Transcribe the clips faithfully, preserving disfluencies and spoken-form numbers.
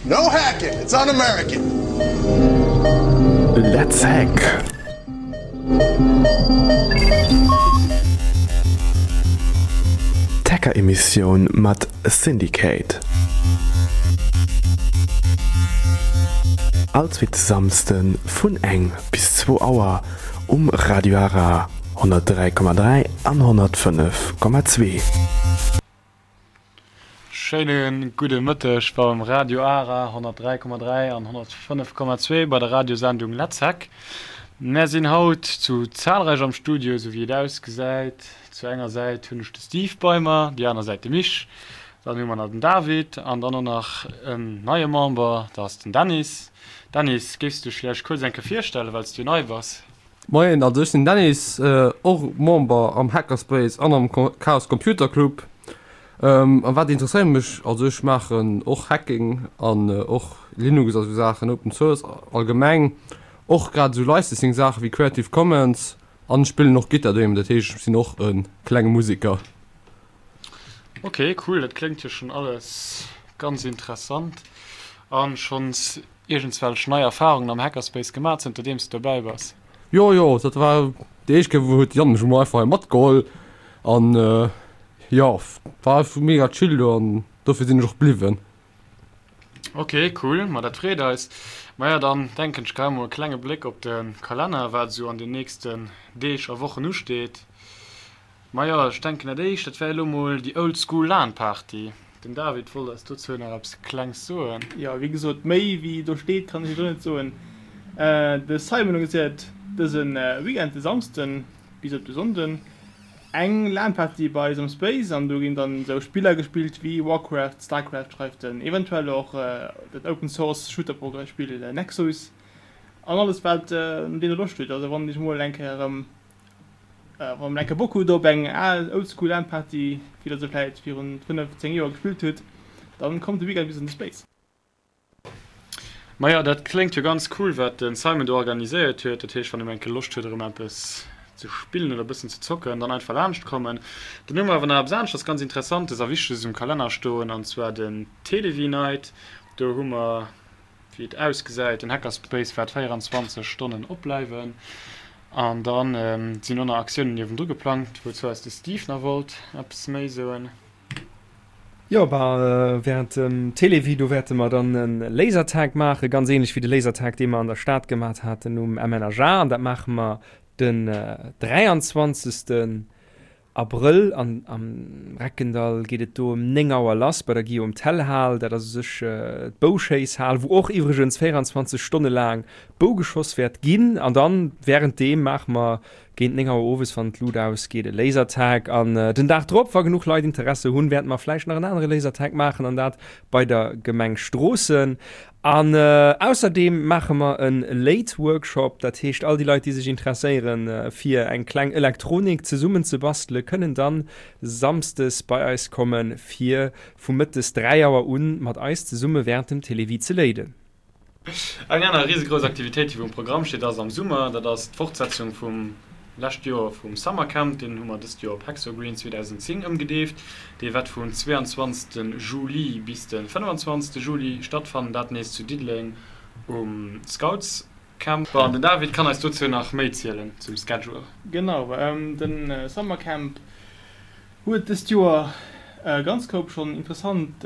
No hacking, it's un-American. Let's Hack! D'Hacker-Emissioun mat Syndicate. All zweete Samsde vun eng bis zwou Auer um Radio Ara honnertdräi Komma dräi an honnertfënnef Komma zwee. Schéine gudde Mëtteg beim Radio Ara honnertdräi Komma dräi an honnertfënnef Komma zwee bei der Radiosendung Let's Hack. Mär sinn haut zu zahlreich am Studio, sou wéi et ausgesäit. Zu enger Säit hunn ech de Steve bei mer, déi aner Säit de Mich, dann hu mer nach den David an dann och nach en neie Member, dat ass den Dennis. Dennis, géifs du dech vläicht kuerz eng Kéier virstellen, well s du jo nei bass? Moien, also ech sinn den Dennis, och Member am Hackerspace an am Chaos Computer Club. A wat interesséiert mech? Also ech maachen och Hacking an och Linux a sou Saachen, Open Source allgemeng, och grad esou Licensing Saache wéi Creative Commons an ech spillen och Gittar doheem, dat heescht ech sinn och e klenge Museker. Ok cool, dat kléngt jo schonn alles ganz interessant an schonns iergendswelch nei Erfahrungen am Hackerspace gemaach zënter deems de dobäi bass? Jo jo, dat war déi éischt Kéier wou huet de Yann mech emol einfach hei matgeholl an jo war einfach mega chill do an dofir sinn ech och bliwwen. Ok cool, ma dat freet eis. Maja dann denken ech geheie mol e klenge Bléck op de Kalenner wat esou an den nächsten Deeg a Wochen usteet. Majo, ech denken dat éischt, dat wär elo mol déi Old School LAN Party. Den David wollt eis dozou nach eppes klengs soen. Jo, wéi gesot, méi wéi do steet kann ech iech och net soen. De Simon organiséiert dëse Weekend, de Samsden bis op de Sonnden, eng LAN Party bei eis am Space an do ginn dann esou Spiller gespillt wéi Warcraft, Starcraft schreift en, eventuell och dat Open Source Shooter Spill Nexus an alles wat no deem der Loscht hutt. Also wann dir mol eng Kéier erëm Wann der eng Kéier Bock hutt op eng al Oldschool LAN Party, wéi der se vläit virun fënnef, zéng Joer gespillt hutt, dann kommt de Weekend bis an de Space. Majo, dat kléngt jo ganz cool wat den Simon do organiséiert huet. Dat heescht wann een eng Kéier Loscht huet erëm eppes ze spillen oder e bëssen ze zocken, dann einfach laanscht kommen. Dann hu mer awer nach eppes aneschters ganz Interessantes a Wichteges um Kalenner stoen, an zwar den Télévie Night. Do hu mer Wéi et ausgesäit, den Hackerspace waert véierundzwanzeg Stonnen opbleiwen. An dann sinn och nach Aktiounen niewendru geplangt, wouzou eis de Steve nach wollt eppes méi soen. Jo, bah, während dem Télévie, do wäerte mer dann e Lasertag maachen, ganz ähnlech wéi de Lasertag, dee mer an der Stad gemat haten um M N H A. An dat maache mer den dräianzwanzegsten Abrëll an am Reckendall geet et do ëm néng Auer lass bei der Guillaume Tell Hal. Dat ass u sech d'Bouschéisshal, wou och iwwregens véierundzwanzeg Stonne laang Bou geschoss wäert ginn. An dann wärenddeem maache mer géint néng Auer owes, wann d'Lut ausgeet, e Lasertag. An den Dag drop, wa genuch Leit Interesse hunn, wäerte mer vläicht nach en anere Lasertag maachen, an dat bei der Gemeng Stroossen. An ausserdeem maache mer e Late Workshop, dat heescht all déi Leit déi sech interesséieren fir eng kleng Elektronik zesummen ze bastele kënnen dann Samsdes bei eis komme fir vu mëttes dräi Auer un mat eis zesumme während dem Télévie ze léiden. Eng aner risegrouss Aktivitéit, déi wou um Programm steet, ass am Summer. Dat ass d'Fortsetzung vum lescht Joer vum Summercamp. Deen hu mer dëst Joer op Hexogreen zweedausendzéng ëmgedeeft. Dee wäert vum zweeanzwanzegste Juli bis de fënnefenzwanzegste Juli stattfannen, dat nees zu Diddeleng um Scoutscamp. Bon, den David kann eis dozou nach méi zielen zum Schedule. Genau, de Summercamp huet dëst Joer e ganz Koup schonn interessant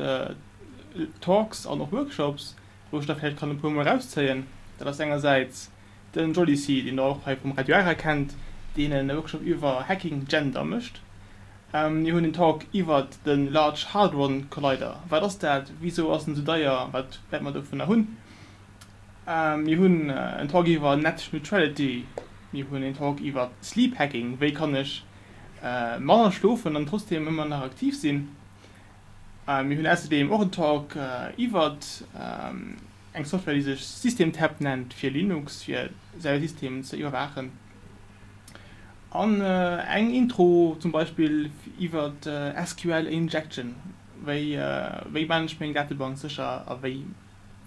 Talks an och Workshops, wou ech der vläicht kann e puer mol erauszéien. Dat ass engersäits den Jolly C, deen der och hei vum Radio Ara kennt, deen e Workshop iwwer Hacking Gender mécht. Mir hunn en Talk iwwert de Large Hadron Collider. Wat ass dat? Wisou ass en esou deier? Wat wäerte mer dovunner hunn? Mir hunn en Talk iwwer Net Neutrality. Mir hunn en Talk iwwer Sleep Hacking. Wéi kann ech manner schlofen an trotzdeem ëmmer nach aktiv sinn? Mir hunn ausserdeem och en Talk iwwert eng Software, déi sech Systemtap nennt, fir Linux, fir säi System ze iwwerwaachen. An eng Intro zum Beispill iwwert S Q L Injection, wéi wéi maan ech meng Datebank sécher a wéi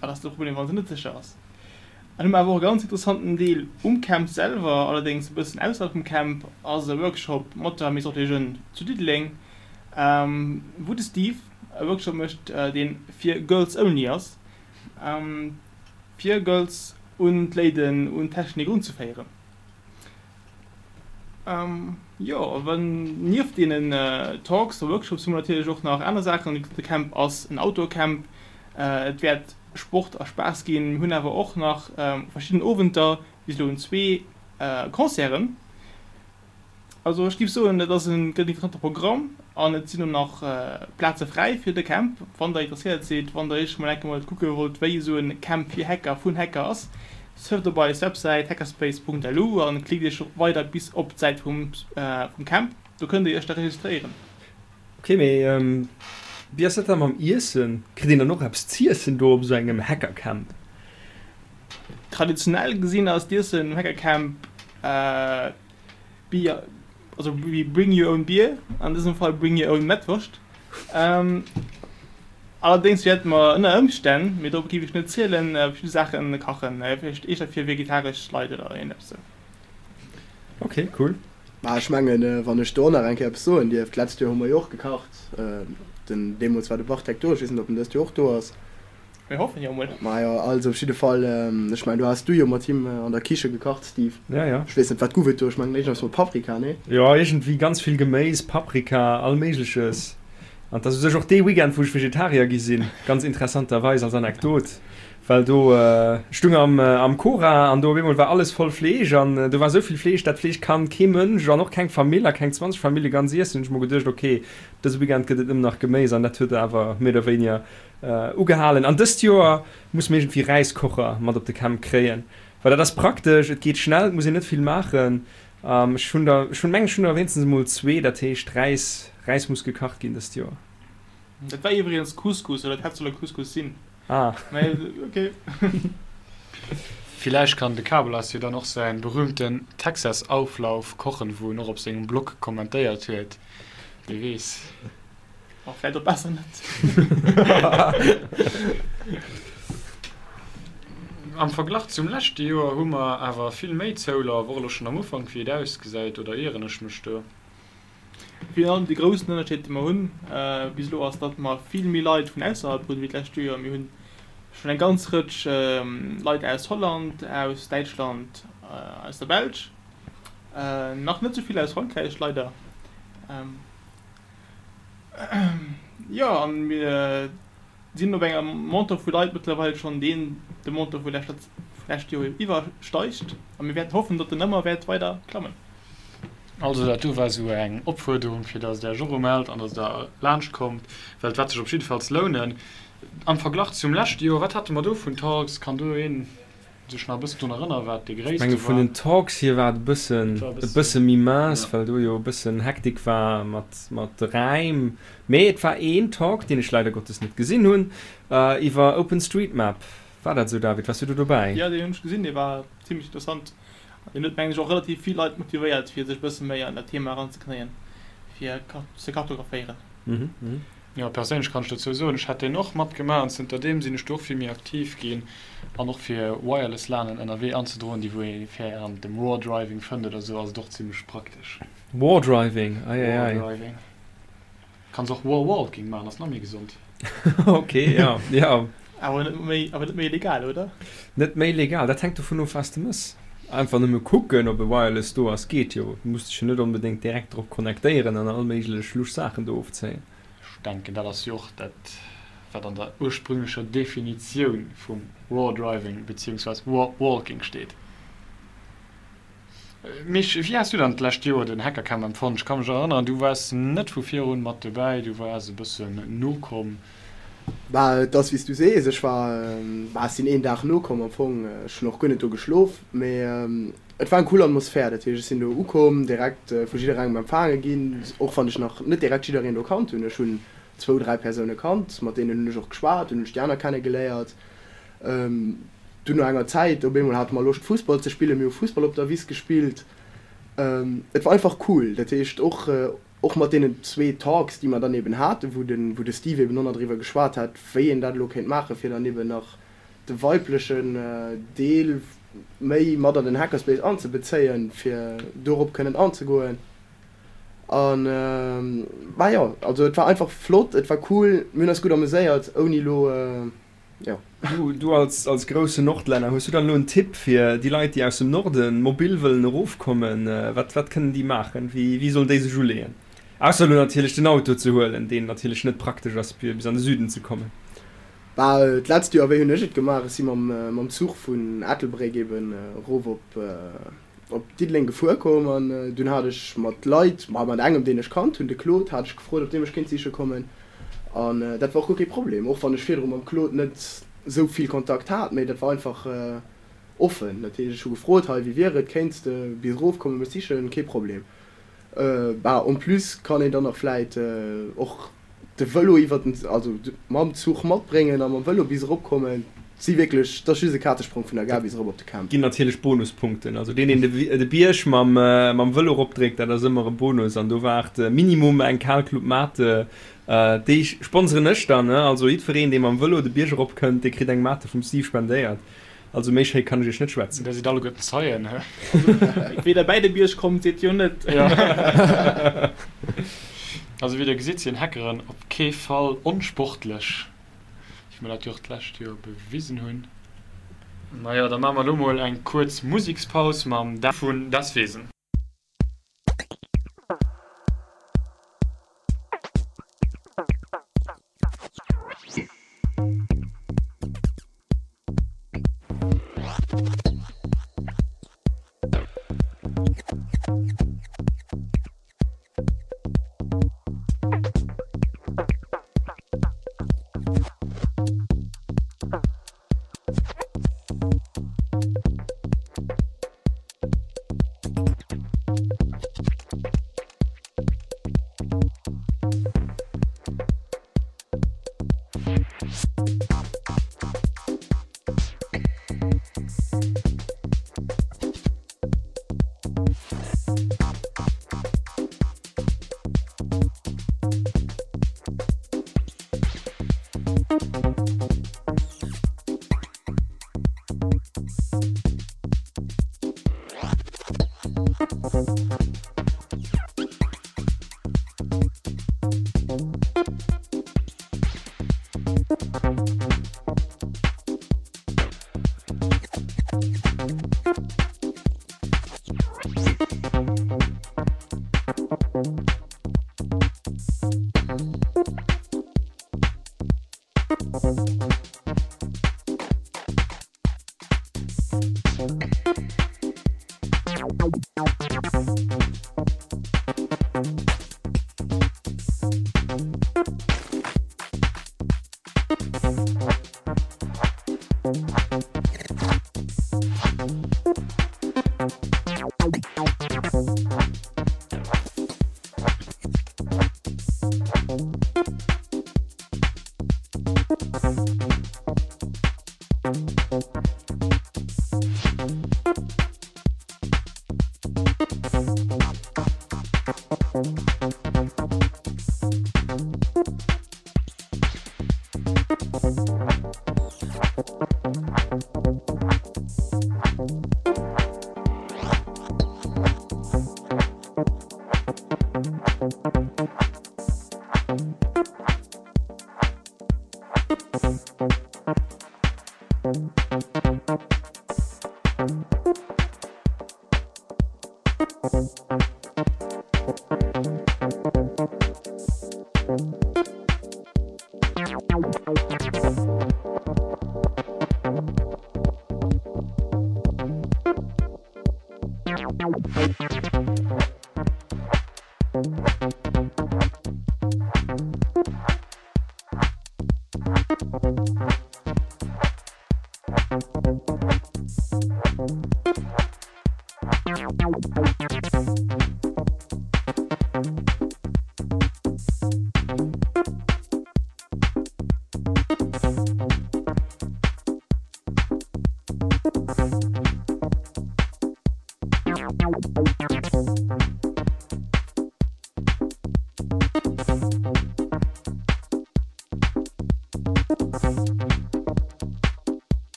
wat ass de Problem, wa se net sécher ass. An hu mer awer och e ganz interessanten Deel um Camp selwer, allerdéngs e bëssen ausserhalb vum Camp, ass e Workshop mat der Maison des Jeunes zu Diddeleng, wou de Steve e Workshop mécht, dee fir Girls Only ass. fir Girls un d'Léiden, un d'Technik erunzeféieren. Jo, wann nieft deenen Talks a Workshops hu mer natierlech och nach aner Saachen. De Camp ass en Outdoor-Camp, et wäert Sport a Spaass ginn. Mir hunn awer och nach verschidden Owenter, bis elo hunn zwee Concerten. Also ech géif soen, et ass en gëtt interessante Programm an et sinn och nach Plaze fräi fir de Camp. Wann der interesséiert sidd, wann der iech mol enke mol kucke wollt, wéi esou en Camp fir Hacker vun Hacker ass, surft op eis Websäit hackerspace punkt L U an klickt iech weider bis op d'Säit vum vum Camp. Do kënnt dir iech da registréieren. Ok, mee wéi ass dat da mam Iessen? Kritt een dann och eppes z'iessen do op esou engem Hackercamp? Traditionell gesinn ass d'Iessen um Hackercamp Bier, also wéi Bring your own beer, an dësem Fall Bring your own Mettwurscht. Allerdéngs wäerte mer ënner Ëmstänn, mee dorop géif ech net zielen, verschidde Saache kachen, vläicht éischter fir vegetaresch Leit oder iergendeppes esou. Ok, cool. Mä ech mengen, wann ech do och nach eng Kéier eppes soen dierf, D'letzt Joer hu mer jo och gekacht. Den, deemools war de Bartek do, ech weess net, ob en dëst Joer och do ass. Mir hoffen jo mol. Majo, also op jidde Fall, ech mengen, do has du jo mat him an der Kiche gekacht, Steve. Ja, ja. Ech weess net, wat guff et do? Ech mengen iergendeppes mat Paprika, nee? Jo, iergendwéi ganz vill Geméis, Paprika, all Méigleches. An 't ass u sech och dee Weekend, wou ech Vegetarier gi sinn, ganz interessanterweis als Anekdot, well do, ech stung am am Cora an do op eemol war alles voll Fleesch an do war esou vill Fleesch, dat Fleesch kann kee Mënsch an och keng Famill a keng zwanzeg Famillje ganz iessen. Hunn ech mer geduecht, ok, dëse Weekend gëtt et nëmmen nach Geméis an dat huet awer méi oder wéiniger Ugehalen. An dëst Joer muss mer iergendwéi Räiskocher mat op de Camp kréien, well dat ass praktesch, et geet schnell, et muss een net vill maachen. Ech hunn der, ech hunn, mengen ech hunn der wéinstens emol zwee, dat heescht Räis, Räis muss gekacht ginn dëst Joer. Dat war iwwregens Couscous, oder et hätt solle Couscous sinn. Ah. Mä ok. Villäicht kann de Kabelas jo dann och säin berühmten Texas-Auflauf kochen, wou en och op sengem Blog kommentéiert huet, wie weess. Oh, vläit och besser net. Am Verglach zum leschte Joer hu mer awer vill méi Zoulaf, och elo schonn am Ufank, wéi et ausgesäit, oder ieren ech mech do? Virun allem de groussen Ënnerscheed, dee mer hunn bis elo, ass, datt mer vill méi Leit vun ausserhalb hunn wéi d'lescht Joer. Mir hunn schonn eng ganz Rëtsch Leit aus Holland, aus Däitschland, aus der Belsch, nach net esou vill aus Frankräich leider. Jo, an mir sinn op enger Montant vu Leit mëttlerweil schonn, deen de Montant vu lescht Joer iwwersteigt. A mir wäerten hoffen, datt en ëmmer wäert weider klammen. Also dat do war esou eng Opfuerderung, fir datt Der Iech och umellt an datt Der laanscht kommt, well et wäert sech op jiddefalls lounen. Am Verglach zum leschte Joer, wat hate mer do vun Talks? Kann do een sech nach e bëssen drun erënneren, wat dee Ech gréisste menge vun war? den Talks hier war et e bëssen, Et war e e bëssen, bësse méi mince, ja. well do jo e bëssen Hektik war mat, mat de Räim. Mee et war een Talk, deen ech leider Gottes net gesinn hunn, iwwer OpenStreetMap. War dat esou, David? Waars du do dobäi? Jo, deen hunn ech gesinn, dee war zimlech interessant. An deen huet, mengen ech, och relativ vill Leit motivéiert, fir sech e bësse méi an dat Thema eranzeknéien, fir ze kartographéieren. Jo, perséinlech kann ech dozou soen, ech hat deen och matgemaach an zënter deem sinn ech do och vill méi aktiv ginn an och fir Wireless LANen ënnerwee anzedroen, déi wou ee während dem War Driving fënnt oder sou, ass et och zimlech praktesch. War Driving, ei ei War ei. Driving. Kanns och War Walking maachen, ass nach méi gesond. Ok, jo, jo. Awer net méi, awer net méi legal, oder? Net méi legal, dat hänkt dovun of, wat s de mëss. Einfach nëmme kucken, ob e Wireless do ass, geet jo. Du muss dech jo net onbedéngt direkt drop connectéieren an all méiglech lusch Saachen do ofzéien. Ech denken, dat ass jo och dat, wat an der ursprünglecher Definitioun vum War Driving beziehungsweise War Walking steet. Misch, wéi has du dann d'lescht Joer den Hackercamp empfonnt? Ech ka mech erënneren, du waars net vu virun mat dobäi, du waars e bëssen nokomm. Bah, et ass wéi s du sees, ech war, bah, ech sinn een Dag nokomm am Fong, ech hunn och guer net do geschlof, mee et war eng cool Atmosphär, dat heescht ech sinn do ukomm, direkt vu jidderengem empfaange ginn, och wann ech nach net direkt jiddereen do kannt hunn, ech hunn zwou, dräi Persoune kannt, mat deenen hunn ech och geschwat, dunn hunn ech déi aner kenne geléiert. Dunn no enger Zäit op eemol hate mer Loscht Fussball ze spillen, mir hu Fussball op der Wiss gespillt. Et war einfach cool, dat heescht och och mat deenen zwee Talks déi mer dann eben haten, wou de wou de Steve eben och nach driwwer geschwat hat, wéi een dat elo kéint maachen, fir dann eben nach de weiblechen Deel méi mat an den Hackerspace anzebezéien, fir dorop kënnen anzegoen. An bah jo, also et war einfach flott, et war cool, mir hunn eis gutt ameséiert, ouni elo Jo. Du, du als, als groussen Nordlänner, hues du dann elo en Tipp fir déi Leit, déi aus dem Norden mobil wëllen erofkommen? Wat, wat kënnen déi maachen? Wéi, wéi sollen déi sech uleeën? Ausser elo natierlech den Auto ze huelen, deen natierlech net praktesch ass, fir bis an de Süden ze kommen. Bah, d'letzt Joer, wéi hunn ech et gemaach? Ech si mam, mam Zuch vun Ettelbréck eben erof op, op Diddeleng gefuer komm an dunn hat ech mat Leit, ma mat engem, deen ech kannt hunn, de Claude, hat ech gefrot, ob dee mech kéint siche kommen. An dat war och guer kee Problem, och wann ech virdru mam Claude net esou vill Kontakt hat, mee dat war einfach offen. Dat heescht, ech hu gefrot, hei, wéi wier et, kéints de bis erof kommen, mech sichen? Kee Problem. Bah, en plus kann een dann nach vläit och de Vëlo iwwert den, also mam Zuch matbréngen a mam Vëlo bis erop kommen. Et si wierklech, et ass just e Kazesprong vun der Gare bis erop op de Camp. Ginn natierlech Bonuspunkten. Also deen, deen de Bierg mam Vëlo eropdréckt, dat ass ëmmer e Bonus an do waart minimum eng kal Club Mate. Déi sponseren ech dann, ne? Also jiddwereen, dee mam Vëlo de Bierg erop kënnt, dee kritt eng Mate vum Steve spendéiert. Also méi schéi kann ech iech net schwätzen. Der sidd alleguerten Zeien, he? Wéi der bäi de Bierg kommt, seet jo net. Jo. Also wéi der gesitt sinn Hackeren op kee Fall onsportlech, wéi mer dat jo och d'lescht Joer bewisen hunn. Majo, da maache mer elo mol eng kuerz Musekspaus mam Dan vun Das Wesen.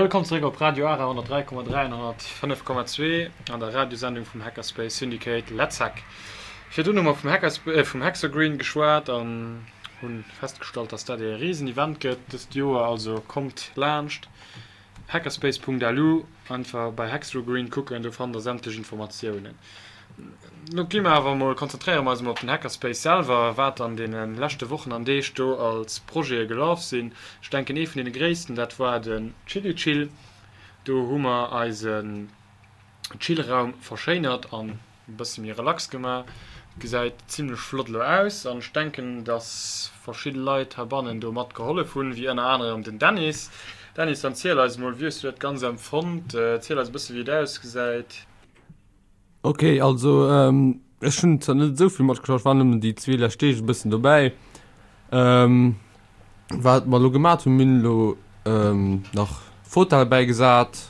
Wëllkomm zeréck op Radio Ara honnertdräi Komma dräi an honnertfënnef Komma zwee an der Radiosendung vum Hackerspace Syndicate Let's Hack. Virdrun hu mer vum Hackersp äh, vum Hexogreen geschwat an hunn festgestallt, dass dat ee Risen-Event gëtt dëst Joer, also kommt laanscht hackerspace Punkt L U, einfach bei Hexogreen kucken, do fannt der sämtlech Informatiounen. Lo gi mer awer emol, konzentréiere mer eis emol op den Hackerspace selwer, wat an deene leschte Wochen an Deeg do als Projete gelaf sinn. Ech denken ee vun deene gréissten, dat war den Chilli Chill. Do hu mer eisen Chillraum verschéinert an e bësse méi relax gemaach. Gesäit zimlech flott elo aus an ech denken, dass verschidde Leit heibannen do mat gehollef hunn, wéi ënner anerem den Dennis. Dennis, dann ziel eis emol, wéi hues du dat Ganzt empfonnt? Ziel eis e bësse wéi et ausgesäit. Ok, also ähm, ech hunn zwar net esou vill matgeschafft, ech war nëmmen déi zwee lescht Deeg e bëssen dobäi. Ähm, wat mer elo gemat hunn, mir hunn elo ähm, nach Fauteuile bäigesat,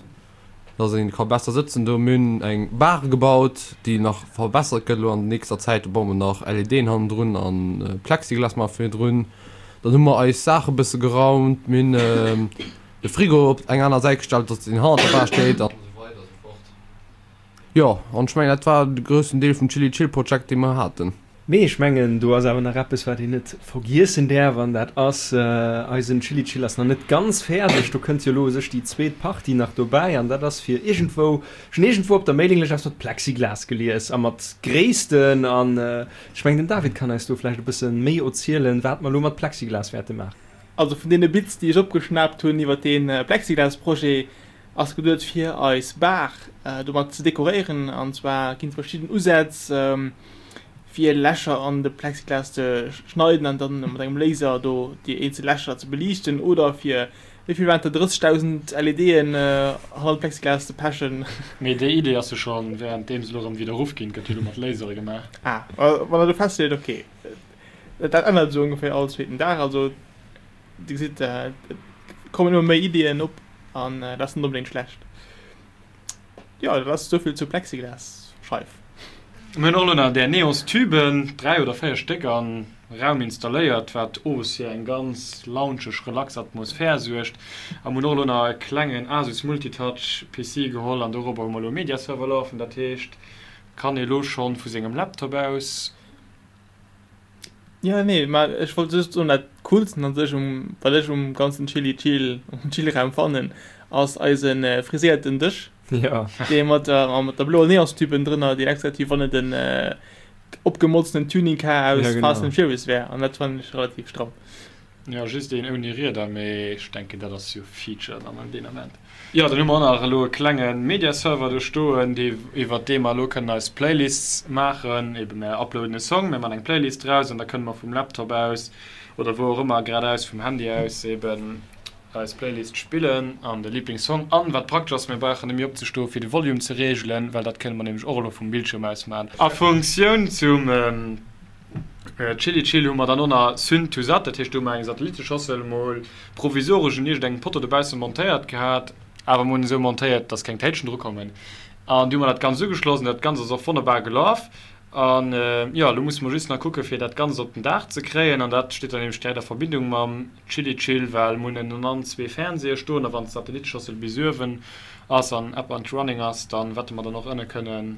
dass een ka besser sëtzen do. Mir hunn eng Bar gebaut, déi nach verbessert gëtt elo an nächster Zäit. Do baue mer nach L E Dën hannendrun an äh, Plexiglas maache virdrun. Dann hu mer eis Saache bësse geraumt, mir hunn ähm, de Frigo op eng aner Säit gestallt, dass deen hannert der Bar steet an esou weider esou fort. Jo, an ech mengen, dat war de groussen Deel vum Chilli Chill Project, dee mer haten. Mee ech mengen, do ass awer nach eppes, wat een net vergiessen däerf, an dat ass, eisen Chilli Chill ass nach net ganz fäerdeg. Do kënnt jo elo u sech déi zweet Partie nach dobäi, an dat ass fir iergendwou, ech hunn iergendwou op der Mailinglëscht eppes mat Plexiglas gelies a mat Gréissten, an ech mengen, den David kann eis do vläicht e bësse méi erzielen, wat mer elo mat Plexiglas wäerte maachen. Also vun deene Bits, déi ech opgeschnaapt hunn iwwer dee Plexiglas-Projet, ass geduet fir eis Bar domat ze dekoréieren. An zwar ginn et verschidden Usätz fir Lächer an de Plexiglas ze schneiden an dann mat engem Laser do déi eenzel Lächer ze beliichten oder fir, wéi vill waren et, drëssegdausend L E Dën hannert d'Plexiglas ze pechen. Mee déi Idee ass jo scho währenddeem se elo erëm widderruff ginn, gëtt jo elo mat Lasere gemaach. Ah, wann der do feststeet, ok. Dat ännert esou ongeféier all zweeten Dag. Also Dir gesitt, et kommen ëmmer méi Iddien op an dat ass net onbedéngt schlecht. Jo, dat ass esouvill zur Plexiglasscheif. Mir hunn och elo nach där Neonstüben, dräi oder véier Stéck, am Raum installéiert, wat owes fir eng ganz loungeg, relax Atmosphär suergt. A mir hunn och elo nach e klengen Asus Multitouch P C geholl an dorobber hu mer elo e Mediaserver lafen. Dat heescht, kann ee elo schonn vu sengem Laptop aus. Jo, nee, mä ech wollt just soen, dat Coolsten an sech um, wat ech um ganzen Chilli Chill, um Chillraum fannen, ass eise friséierten Dësch, Jo. dee mat der, mat der bloer Neonstüben drënner, deen extra wéi wann et en opgemolzenen Tuning Car aus Ja, genau. Fast and Furious wär, an dat fannen ech relativ stramm. Jo, just een ouni Rieder, mee ech denken dat ass jo Feature dann an deen Ament. Jo, dann hu mer och nach elo e klenge Media-Server do stoen, dee iwwert dee mer elo kënnen eis Playlists maachen. Eben mär uploaden e Song, mär man eng Playlist draus an da kënne mer vum Laptop aus oder wou och ëmmer, grad aus vum Handy aus eben eis Playlist spillen an de Liblingssong. An wat praktesch ass, mir brauchen net méi opzestoe fir de Volume ze reegelen, well dat kënne mer nämlech och elo vum Bildschirm aus man. A Funktioun zum Chilli Chill hu mer dann och nach Syn to Sat, dat heescht do hu mer eng Satelliteschossel mol provisoresch un iergendengem Potto dobausse montéiert gehat, awer mer hunn esou montéiert, dass keng Téitschen dru kommen an du hu mer dat Ganzt ugeschloss an dat Ganzt ass och wonnerbar gelaf. An jo, elo musse mer just nach kucke fir dat Ganzt op den Daach ze kréien an dat steet dann nämlech direkt a Verbindung mam Chilli Chill, well mer hunn ënnenan zwee Fernseeë stoen a wann d'Satelliteschossel bis uewen ass an up and running ass, dann wäerte mer dann och ënne kënnen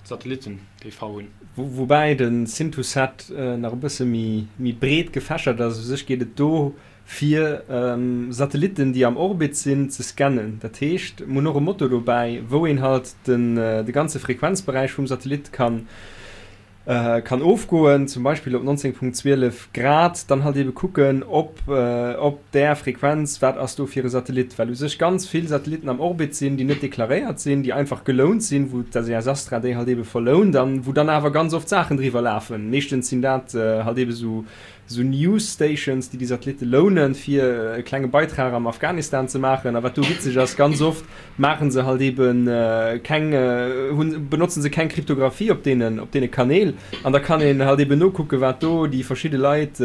Satellitten-T V hunn. Woubäi de Syn to Sat nach e bësse méi breet gefächert ass. U sech geet et do fir Satellitten, déi am Orbit sinn, ze scannen. Dat heescht, mir hunn och e Motor dobäi, wou een halt de ganze Frequenzberäich vum Satellit kann kann ofgoen, zum Beispill op neunzehn Punkt zwielef Grad, dann halt ebe kucken, ob op där Frequenz, wat ass do fir e Satellit, well u sech ganz vill Satellitten am Orbit sinn, déi net deklaréiert sinn, déi einfach gelount sinn, wou d'S E S Astra déi halt ebe verlount an wou dann awer ganz oft Saachen driwwer lafen. Meeschtens sinn dat halt ebe sou sou News Stations, déi déi Satellitte lounen, fir e klenge Beitrag am Afghanistan ze maachen. A wat do witzeg ass, ganz oft maache se halt ebe keng, hunn, benotzen se keng Kryptographie op deenen, op deene Kanäl. An da kann een halt eben nokucken, wat do déi verschidde Leit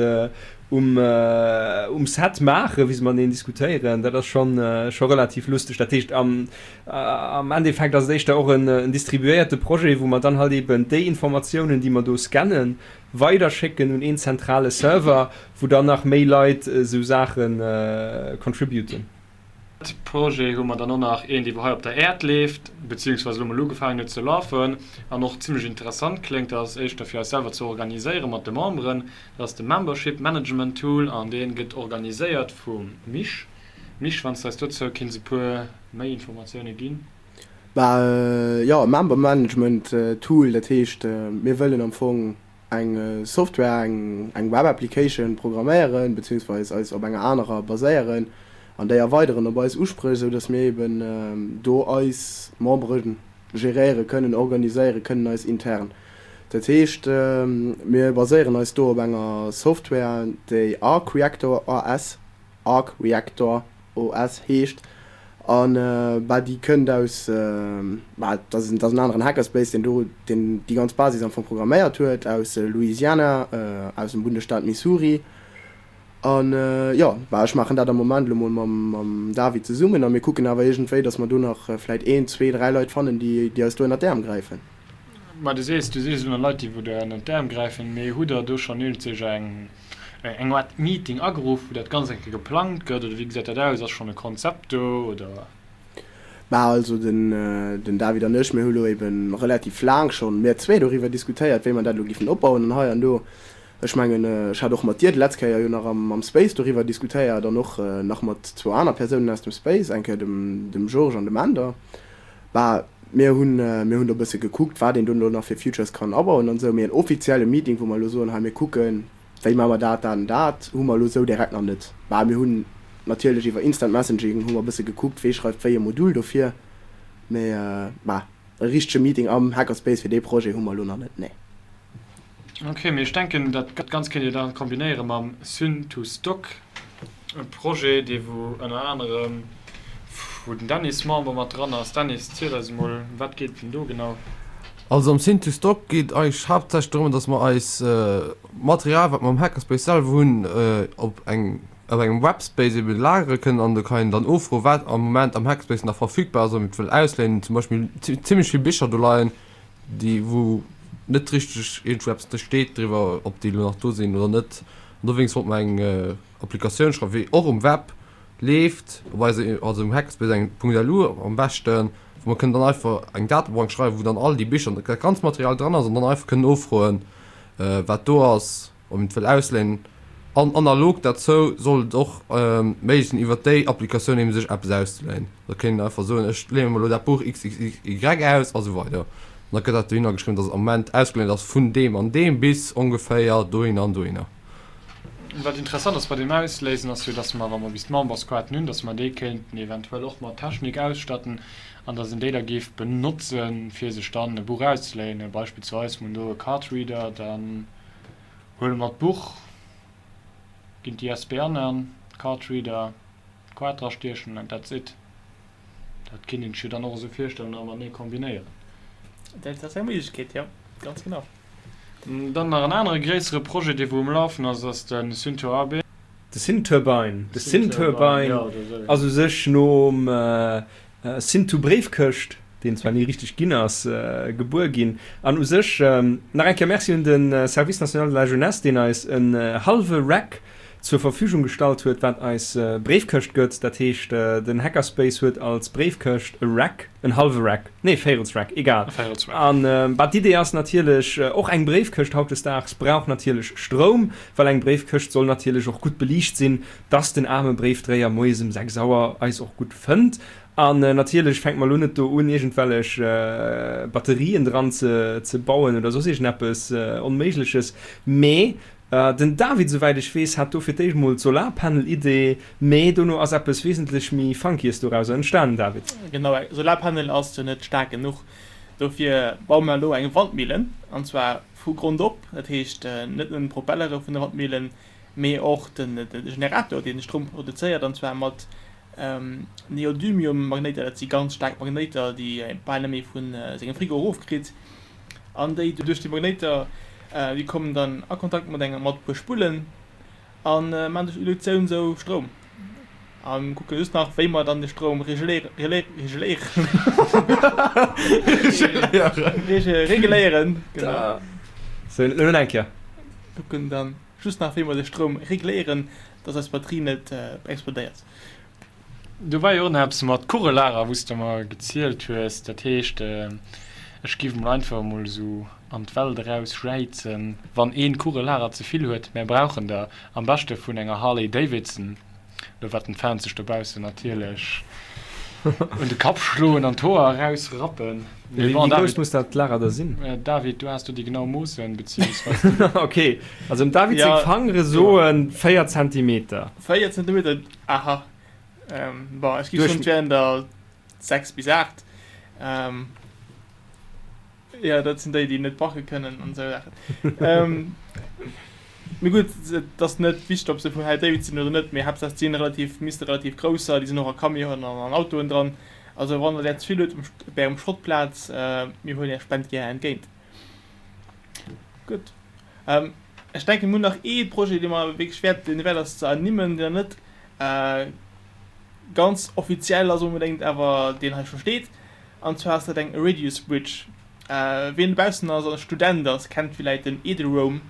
um, um Set maachen, wéi se mateneen diskutéieren. Dat ass schonn, scho relativ lusteg. Dat heescht, am, am Endeffekt ass et éischter och en, en distribuéierte Projet, wou mer dann halt eben déi Informatiounen, déi mer do scannen, weiderschécken un een zentrale Server, wou dann nach méi Leit esou Saache contributen. Projet hu mer dann och nach een, dee wou hei op der Äerd leeft, beziehungsweise elo mol ugefaangen huet ze lafen an och zimlech interessant kléngt. Dat ass éischter fir eis selwer ze organiséiere mat de Memberen. Dat ass de Membership Management Tool an dee gëtt organiséiert vum Misch. Misch, wann s de eis dozou kinns e puer méi Informatioune ginn. Bah jo, Member Management Tool, dat heescht mir wëllen am Fong eng Software, eng Web Application programméieren, beziehungsweise eis op enger anerer baséieren an déi erweideren op eis Uspréch, esou dass mir eben do eis Membere geréiere kënnen, organiséiere kënnen eis intern. Dat heescht, mir baséieren eis do op enger Software, déi Arc Reactor OS, Arc Reactor OS, heescht. An bah, déi kënnt aus, bah, dat ass en aneren Hackerspace, deen do, deen déi ganz Basis am Fong programméiert huet, aus Louisiana, aus dem Bundesstaat Missouri. An jo, bah, ech maachen dat am Moment elo mol mam, mam David zesummen a mir kucken awer iergendwéi, datt mer do nach vläit een, zwee, dräi Leit fannen, déi, déi eis do ënnert d'Äerm gräifen. Mä du sees, du sees elo nach Leit, déi wou der ënnert d'Äerm gräifen, mee hutt Der do schonn iergendsech eng, eng Art Meeting ageruff, wou dat Ganzt eng Kéier geplangt gëtt, oder wéi gesäit dat aus? Ass schonn e Konzept do, oder? Bah, also den, den David an ech, mir hu lo eben relativ laang schonn, mir zwee, doriwwer diskutéiert, wéi mer dat elo giffen opbauen an hei an do. Ech mengen, ech hat och mat dir d'letz Kéier jo nach am am Space doriwwer diskutéiert an och nach mat zwou aner Persounen aus dem Space, eng Kéier dem dem Georges an dem Änder. Bah, mir hunn mir hunn do e bësse gekuckt, wat een do elo nach fir Futures kann abauen an esou, mee en offizielle Meeting, wou mer elo soen, hei mir kucken, wéi maache mer dat, dat an dat, hu mer elo esou direkt nach net. Bah, mir hunn natierlech iwwer Instant Messaging hu mer e bësse gekuckt, wee schreift wéi e Modul dofir, mee bah, e richtege Meeting am Hackerspace fir dee Projet hu mer elo nach net, nee. Ok, mee ech denken dat Ganzt kéint Dir dann kombinéiere mam Syn to Stock Projet, dee wou ënner anerem wou den Dennis Member mat dran ass. Dennis, ziel eis emol, wat geet denn do genau? Also am Syn to Stock geet eigentlech haaptsächlech drëm, dass mer eis Material, wat mer am Hackerspace selwer hunn, op eng op engem Webspace eben lagere kënnen an do kann een dann ofroen, wat am Moment am Hackerspace nach verfügbar ass, ob een et wëll ausléinen. Zum Beispill zimmlech vill Bicher do leien, déi wou net richteg iergendwou eppes steet driwwer, ob déi elo nach do sinn oder net. An dowéinst wollte mer eng Applikatioun schreiwen, wéi och um Web leeft, op eise, also um Hackerspace eng .lu am beschten, wou mer kënnen dann einfach eng Datebank schreiwen, wou dann all déi Bicher an dat ganzt Material dran ass an dann einfach kënnen nofroen, wat do ass, ob een et wëll ausléinen. An analog derzou soll et och méiglech sinn, iwwer déi Applikatioun eben sech eppes auszeléinen. Da kéint een einfach soen, ech léine mer elo dat Buch XXY aus a sou weider. An da gëtt dat dohinner geschriwwen, dass et am Moment ausgeléint ass vun deem an deem bis ongeféier dohinner an dohinner. Wat interessant ass bei deem Ausléisen, ass jo, dass mer, wa mer bis d'Membersquaten hunn, dass mer déi kéinten eventuell och mat Technik ausstatten an dass een déi da géif benotzen, fir sech dann e Buch auszeléinen. Beispillsweis, mer hunn do e Cardreader, dann huele mer d'Buch, ginn d'I S B N an, Cardreader, d'Quart drastiechen and that's it. Dat kinnt een sech jo dann och esou virstellen a matenee kombinéieren. Dat ass eng Méiglechkeet, jo, ganz genau. Dann nach en anere gréissere Projet, dee wou um Lafen ass, ass de Synturbine. De Synturbine, de Synturbine ass u sech nom Syntu-Bréifkëscht, deen zwar ni richteg ginn ass, gebuer ginn. An u sech nach eng Kéier Merci un de Service national de la jeunesse, deen eis en hallwe Rack zur Verfügung gestallt huet, wat eis Bréifkëscht gëtt. Dat heescht, den Hackerspace huet als Bréifkëscht e Rack, en hallwe Rack, nee, Véirelsrack, egal. An bah, d'Idee ass natierlech, och eng Bréifkëscht hautdesdaags brauch natierlech Stroum, well eng Bréifkëscht soll natierlech och gutt beliicht sinn, dass den aarme Bréifdréier moies ëm sechs Auer eis och gutt fënnt. An natierlech fänke mer elo net do un, iergendwellech Batterien dran ze bauen oder soss iergendeppes Onméigleches, mee den David, souwäit ech weess, hat do fir d'éischt mol d'Solarpanel-Idee, mee dono ass eppes wesentlech méi Funkyes dorauser entstanen, David. Genau, e Solarpanel ass jo net staark genuch. Dofir baue mer elo eng Wandmillen, an zwar vu Grond op. Dat heescht net nëmmen d'Propellere vun der Wandmillen, mee och de Generator, deen de Stroum produzéiert, an zwar mat Neodymium-Magnéiter. Dat si ganz staark Magnéiter, déi ee bal net méi vu sengem Frigo erofkritt. An déi duerch déi Magnéiter, déi kommen dann a Kontakt mat enger mat puer Spullen a maachen duerch Induktioun sou Stroum. A kucke just nach wéi mer dann de Stroum regeléieren regeléieren genau. Sou, elo nach eng Kéier. Kucken dann just nach wéi mer de Stroum regléieren, dass eis Batterie net explodéiert. Do war jo och nach eppes mat Kugellager, wou s de mer gezielt hues. Dat heescht, ech giff mol einfach emol esou an d'Welt eraus jäizen, wann een Kugellager ze vill huet, mär brauchen der, am beschte vun enger Harley Davidson. Elo wat den Fans sech dobaussen natierlech un de Kapp schloen an d'Hoer eraus rappen. Mee bon, Wéi grouss muss dat Lager da sinn? David, du has do déi genau Moossen, beziehungsweise déi. Ok, also dem David seng Fangere soen véier Zentimeter. Véier Zentimeter, aha. Bon, ech gi soen, et wären der sechs bis aacht. Jo, dat sinn déi, déi net backe kënnen an esou Saachen. Mee gutt, et ass net wichteg, ob se vun Harley Davidson sinn oder net, mee Haaptsaach se sinn relativ, misste relativ grouss sein. Déi sinn och a Camionen an an Autoen dran. Also wann der där ze vill hutt um, op ärem Schrottplaz, mir huelen är Spend gär entgéint. Gutt. Ech denken, mir hunn nach ee Projet, dee mer wierklech wäert, deen wäert ass ze ernimmen, deen nach net ganz offiziell ass onbedéngt, awer deen hei scho steet. An zwar ass dat eng Radius Bridge. Wien dobaussen ass an Student ass, kennt villäit den Eduroam,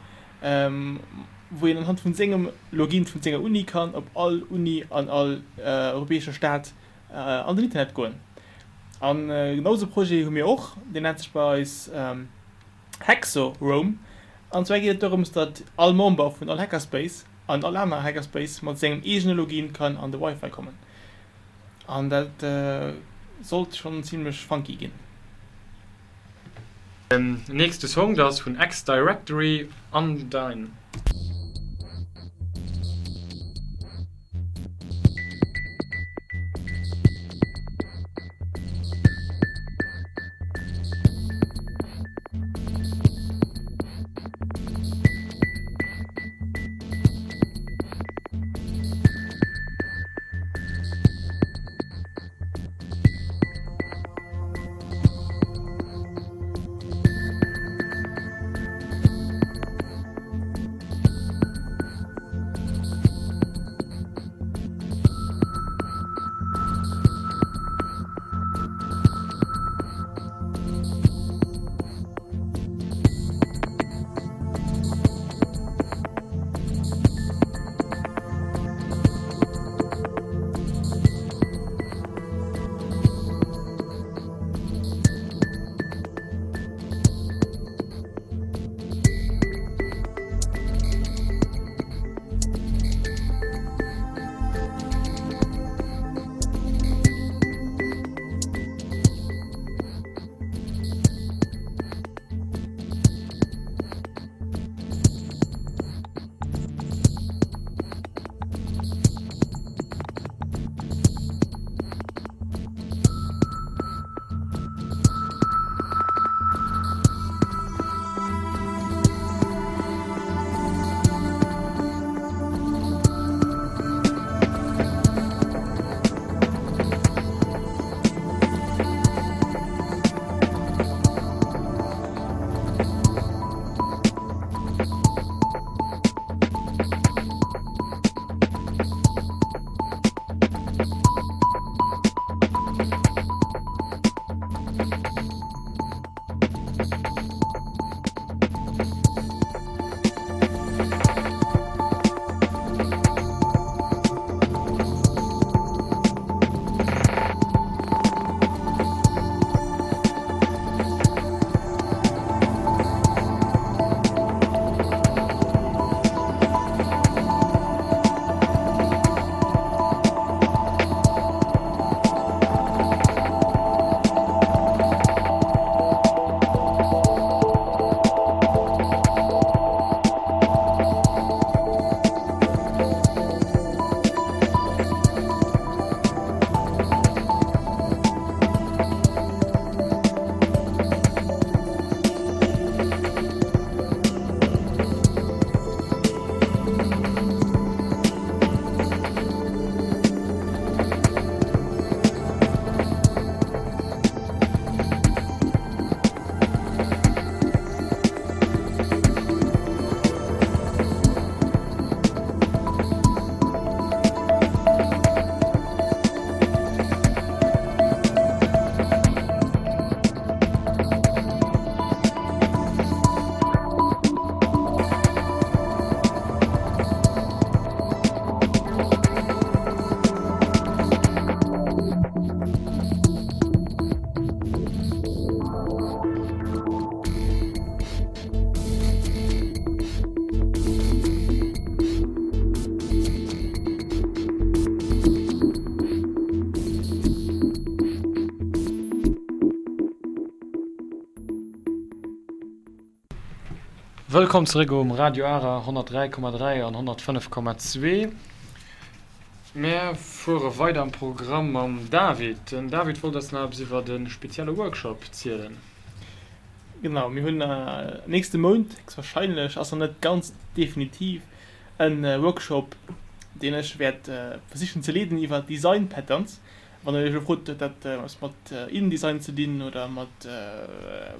wou een anhand vun sengem Login vun senger Uni kann op all Uni an all europäescher Stad an den Internet goen. An genau esou e Projet hu mir och, deen nennt sech bei eis Hexoroam. An zwar geet et dorëms, datt all Member vun all Hackerspace an all aner Hackerspace mat sengem eegene Login kann an de Wifi kommen. An dat sollt schonn zimlech funky ginn. Nächste Song, dat ass vun X-Directory, Undine. Wëllkomm zeréck um Radio Ara honnertdräi Komma dräi an honnertfënnef Komma zwee. Mär fuere weider am Programm mam David. Den David wollt eis nach eppes iwwert e spezielle Workshop zielen. Genau, mir hunn nächste Mount, héchstwahrscheinlech, ass nach net ganz definitiv, e Workshop, deen ech wäert versichen ze leeden iwwer Design Patterns. Wann der iech elo frot, huet dat eppes mat InDesign ze dinn oder mat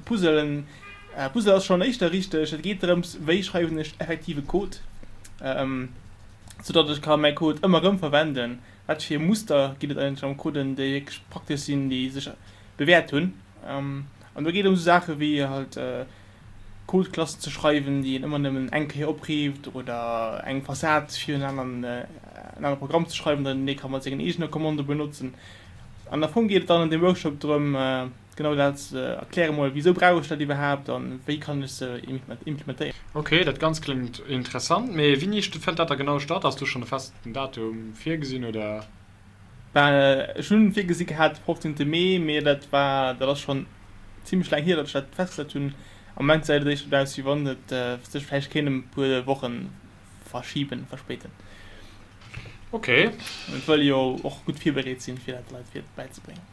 Puzzelen? Puzzle ass schonn éischter richteg. Et geet drëms, wéi schreiwen ech effektive Code, soudatt ech ka mäi Code ëmmer erëm verwenden. Wat fir Muster ginn et eigentlech am Coden, déi wierklech praktesch sinn, déi sech bewäert hunn. An do geet et ëm esou Saache wéi halt Codeklassen ze schreiwen, déi een ëmmer nëmmen eng Kéier oprifft, oder eng Fassad fir en aneren, en anere Programm ze schreiwen, datt een dee ka mat sengen eegene Commandë benotzen. An am Fong geet et dann an deem Workshop drëm, genau dat ze erklären, mol wisou brauch ech dat iwwerhaapt an wéi kann ech se implementéieren. Ok, dat Ganzt kléngt interessant, mee wéini fënnt dat da genau statt? Ass do schonn e festen Datum virgesinn, oder? Ben, ech hunn virgesi gehat de fofzéngte Mee, mee dat war, dat ass schonn zimlech laang hier, datt ech dat festgesat hunn. Am Moment gesäit et éischter esou aus, wéi wann et sech vläicht kéint ëm e puer Woche verschiben, verspéiten. Ok. Et wëll jo och gutt virbereet sinn, fir dat de Leit fir bäizebréngen.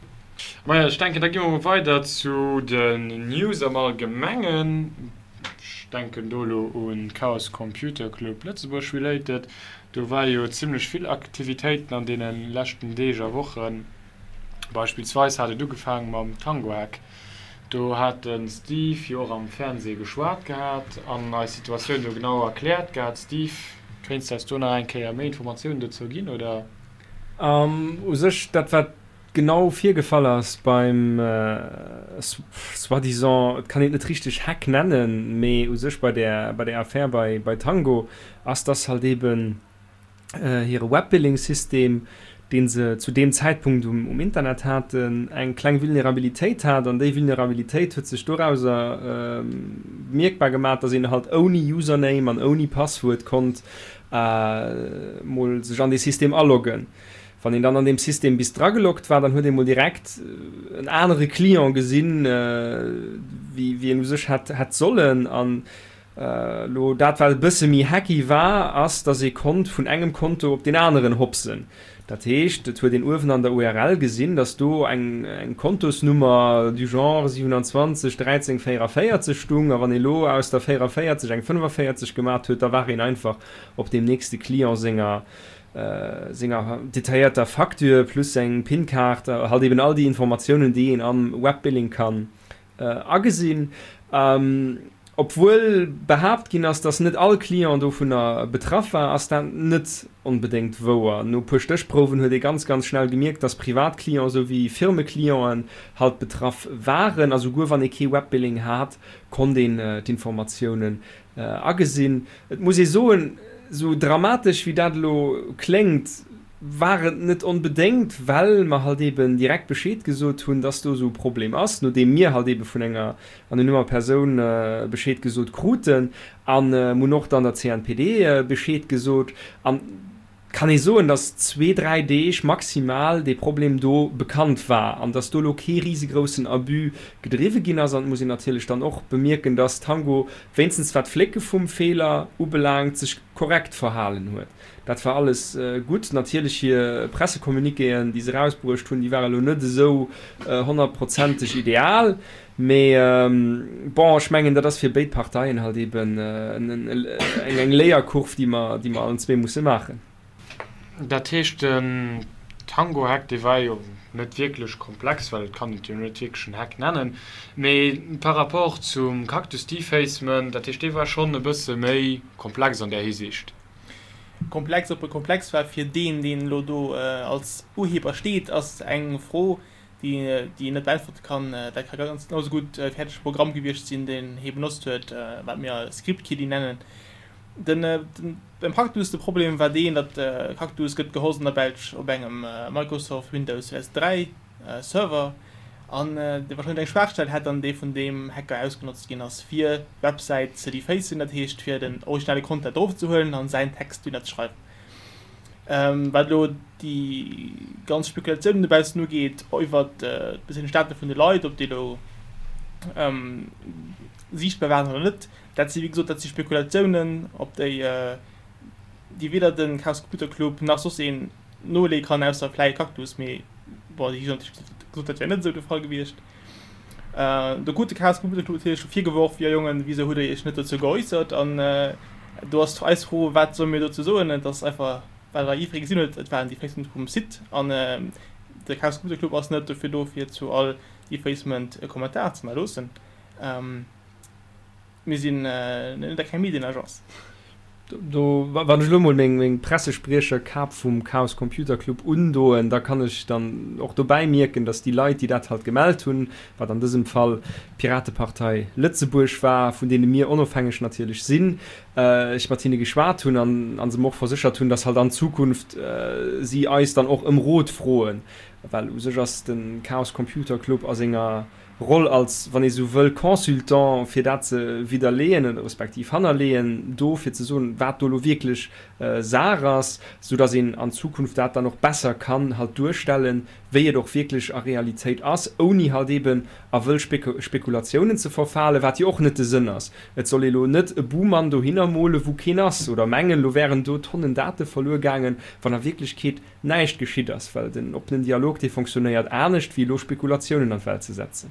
Maja, ech denken, da gi mer mol weider zu den News am Allgemengen. Ech denken do elo un Chaos Computer Club Lëtzebuerg related. Do war jo zimlech vill Aktivitéiten an deene leschten Deeg a Wochen. Beispillsweis hat et ugefaang mam Tango-Hack. Do hat de Steve jo och am Fernsee geschwat gehat an eis Situatioun do genau erkläert gehat. Steve, kéints de eis do nach eng Kéier méi Informatiounen dozou ginn, oder? U sech dat wat genau virgefall ass beim soi-disant, et kann een et net richteg Hack nennen, mee u sech bei där bei där Affär bei bei Tango ass, dass halt eben hire Webbilling-System, dee se zu deem Zäitpunkt um um Internet haten, eng kleng Vulnerabilitéit hat. An déi Vulnerabilitéit huet sech dorauser mierkbar gemaach, dass een halt ouni Username an ouni Passwuert konnt mol sech an dee System aloggen. Wann een dann an deem System bis drageloggt war, dann huet ee mol direkt en anere Client gesinn, wéi wéi een u sech hätt hätt sollen. An elo dat, wat e bësse méi hacky war, ass, dass ee konnt vun engem Konto op deen aneren hopsen. Dat heescht, et huet een uewen an der U R L gesinn, dass do eng eng Kontosnummer du genre siewenundzwanzeg dräizéng véieraféierzeg stung. A wann ee lo aus der véieraféierzeg eng fënnefaféierzeg gemat huet, da war een einfach op deem nächste Client senger senger detailléierter Facture plus seng PIN-Kaart, halt eben all déi Informatiounen, déi een am Webbilling kann agesinn. Obwuel behaapt ginn ass, dass net all Client dovunner betraff war, ass dat net onbedéngt wouer. No e puer Stéchprouwen huet ee ganz, ganz schnell gemierkt, dass Privatclienten souwéi Firmeclienten halt betraff waren. A souguer wann ee kee Webbilling hat, konnt een d'Informatiounen agesinn. Et muss ee soen, esou dramatesch wéi dat elo kléngt, war et net onbedéngt, well mer halt eben direkt Bescheed gesot hunn, dass do esou e Problem ass, nodeem mir halt ebe vun enger anonymer Persoun Bescheed gesot kruten. A mir hunn och dann der C N P D Bescheed gesot. An kann ee soen, dass zwee, dräi Deeg maximal dee Problem do bekannt war an dass do elo kee risegroussen Abus gedriwwe ginn ass. An et muss een natierlech dann och bemierken, dass Tango, wéinstens wat d'Flécke vum Feeler ubelaangt, sech korrekt verhalen huet. Dat war alles gutt. Natierlech hir Pressecommuniquéen, déi se erausbruecht hunn, déi ware lo net esou honnertprozenteg ideal. Mee bon, ech mengen, dat ass fir béid Parteien halt eben eng Léierkurv, déi mer, déi mer allen zwee musse maachen. Dat heescht, den Tango-Hack, dee war jo net wierklech komplex, well et kann een et jo net wierklech en Hack nennen, mee par rapport zum Cactus Defacement, dat heescht, dee war schonn e bësse méi komplex an där Hisiicht. Komplex, ob e komplex war fir deen, deen elo do als Urheber steet, ass eng Fro, déi déi een net beäntwerte kann. Dat ka ganz genau sou gutt e fäerdege Programm gewiescht sinn, deen hie benotzt huet, wat mir Script-Kiddie nennen. Den, den, beim Cactus de Problem war deen, datt Cactus gëtt gehost an der Belsch op engem Microsoft Windows zweedausend dräi Server an dee wahrscheinlech eng Schwaachstell hätt an dee vun deem Hacker ausgenotzt ginn ass fir d'Websäit ze defacen, dat heescht fir den originale Content erofzehuelen an säin Text dohinner ze schreiwen. Wat elo déi ganz Spekulatiounen dobaussen ugeet iwwert d'perséinlech Date vun de Leit, ob déi elo siichtbar waren oder net. Dat si wéi gesot, dat si Spekulatiounen, op déi déi weder de Chaos Computer Club nach soss een noleeë kann, ausser vläicht Cactus, mee bon, déi hu natierlech gesot, dat wär net esou de Fall gewiescht. Do krut de Chaos Computer Club natierlech scho virgeworf, Jo Jongen, wisou hutt der iech net dozou geäussert? An do ass eis Fro, Wat solle mir dozou soen? Et ass einfach, wat der jiddweree gesinn huet, et war en Defacement vum Site an de Chaos Computer Club ass net dofir do, fir zu all Defacement e Kommentar ze hannerloossen. Mir sinn net keng Medienagence. Do, wann ech elo mol meng Pressespriecherkap vum Chaos Computer Club undoen, da kann ech dann och dobäi mierken, datt déi Leit, déi dat halt gemellt hunn, wat an dësem Fall d'Piratepartei Lëtzebuerg war, vun deene mir onofhängeg natierlech sinn, ech mat hinne geschwat hunn an se mer och verséchert hunn, datt halt an Zukunft si eis dann och ëm Rot froen, well u sech ass de Chaos Computer Club a senger Roll als, wann ee sou wëll, Consultant, fir dat ze widderleeën oder respektiv hannerleeën, do fir ze soen, wat do elo wierklech Saach ass, soudass een an Zukunft dat dann och besser kann halt duerstellen, wéi et och wierklech a Realitéit ass, ouni halt eeben a wëll Spekulatiounen ze verfalen, wat jo och net de Sënn ass. Et soll ee lo net e Buhmann dohinner mole wou keen ass oder mengen, lo wären do Tonnen Date verluer gaangen, wann a Wierklechkeet näischt geschitt ass, well den oppenen Dialog, dee fonctionnéiert anescht, wéi elo Spekulatiounen an d'Welt ze setzen.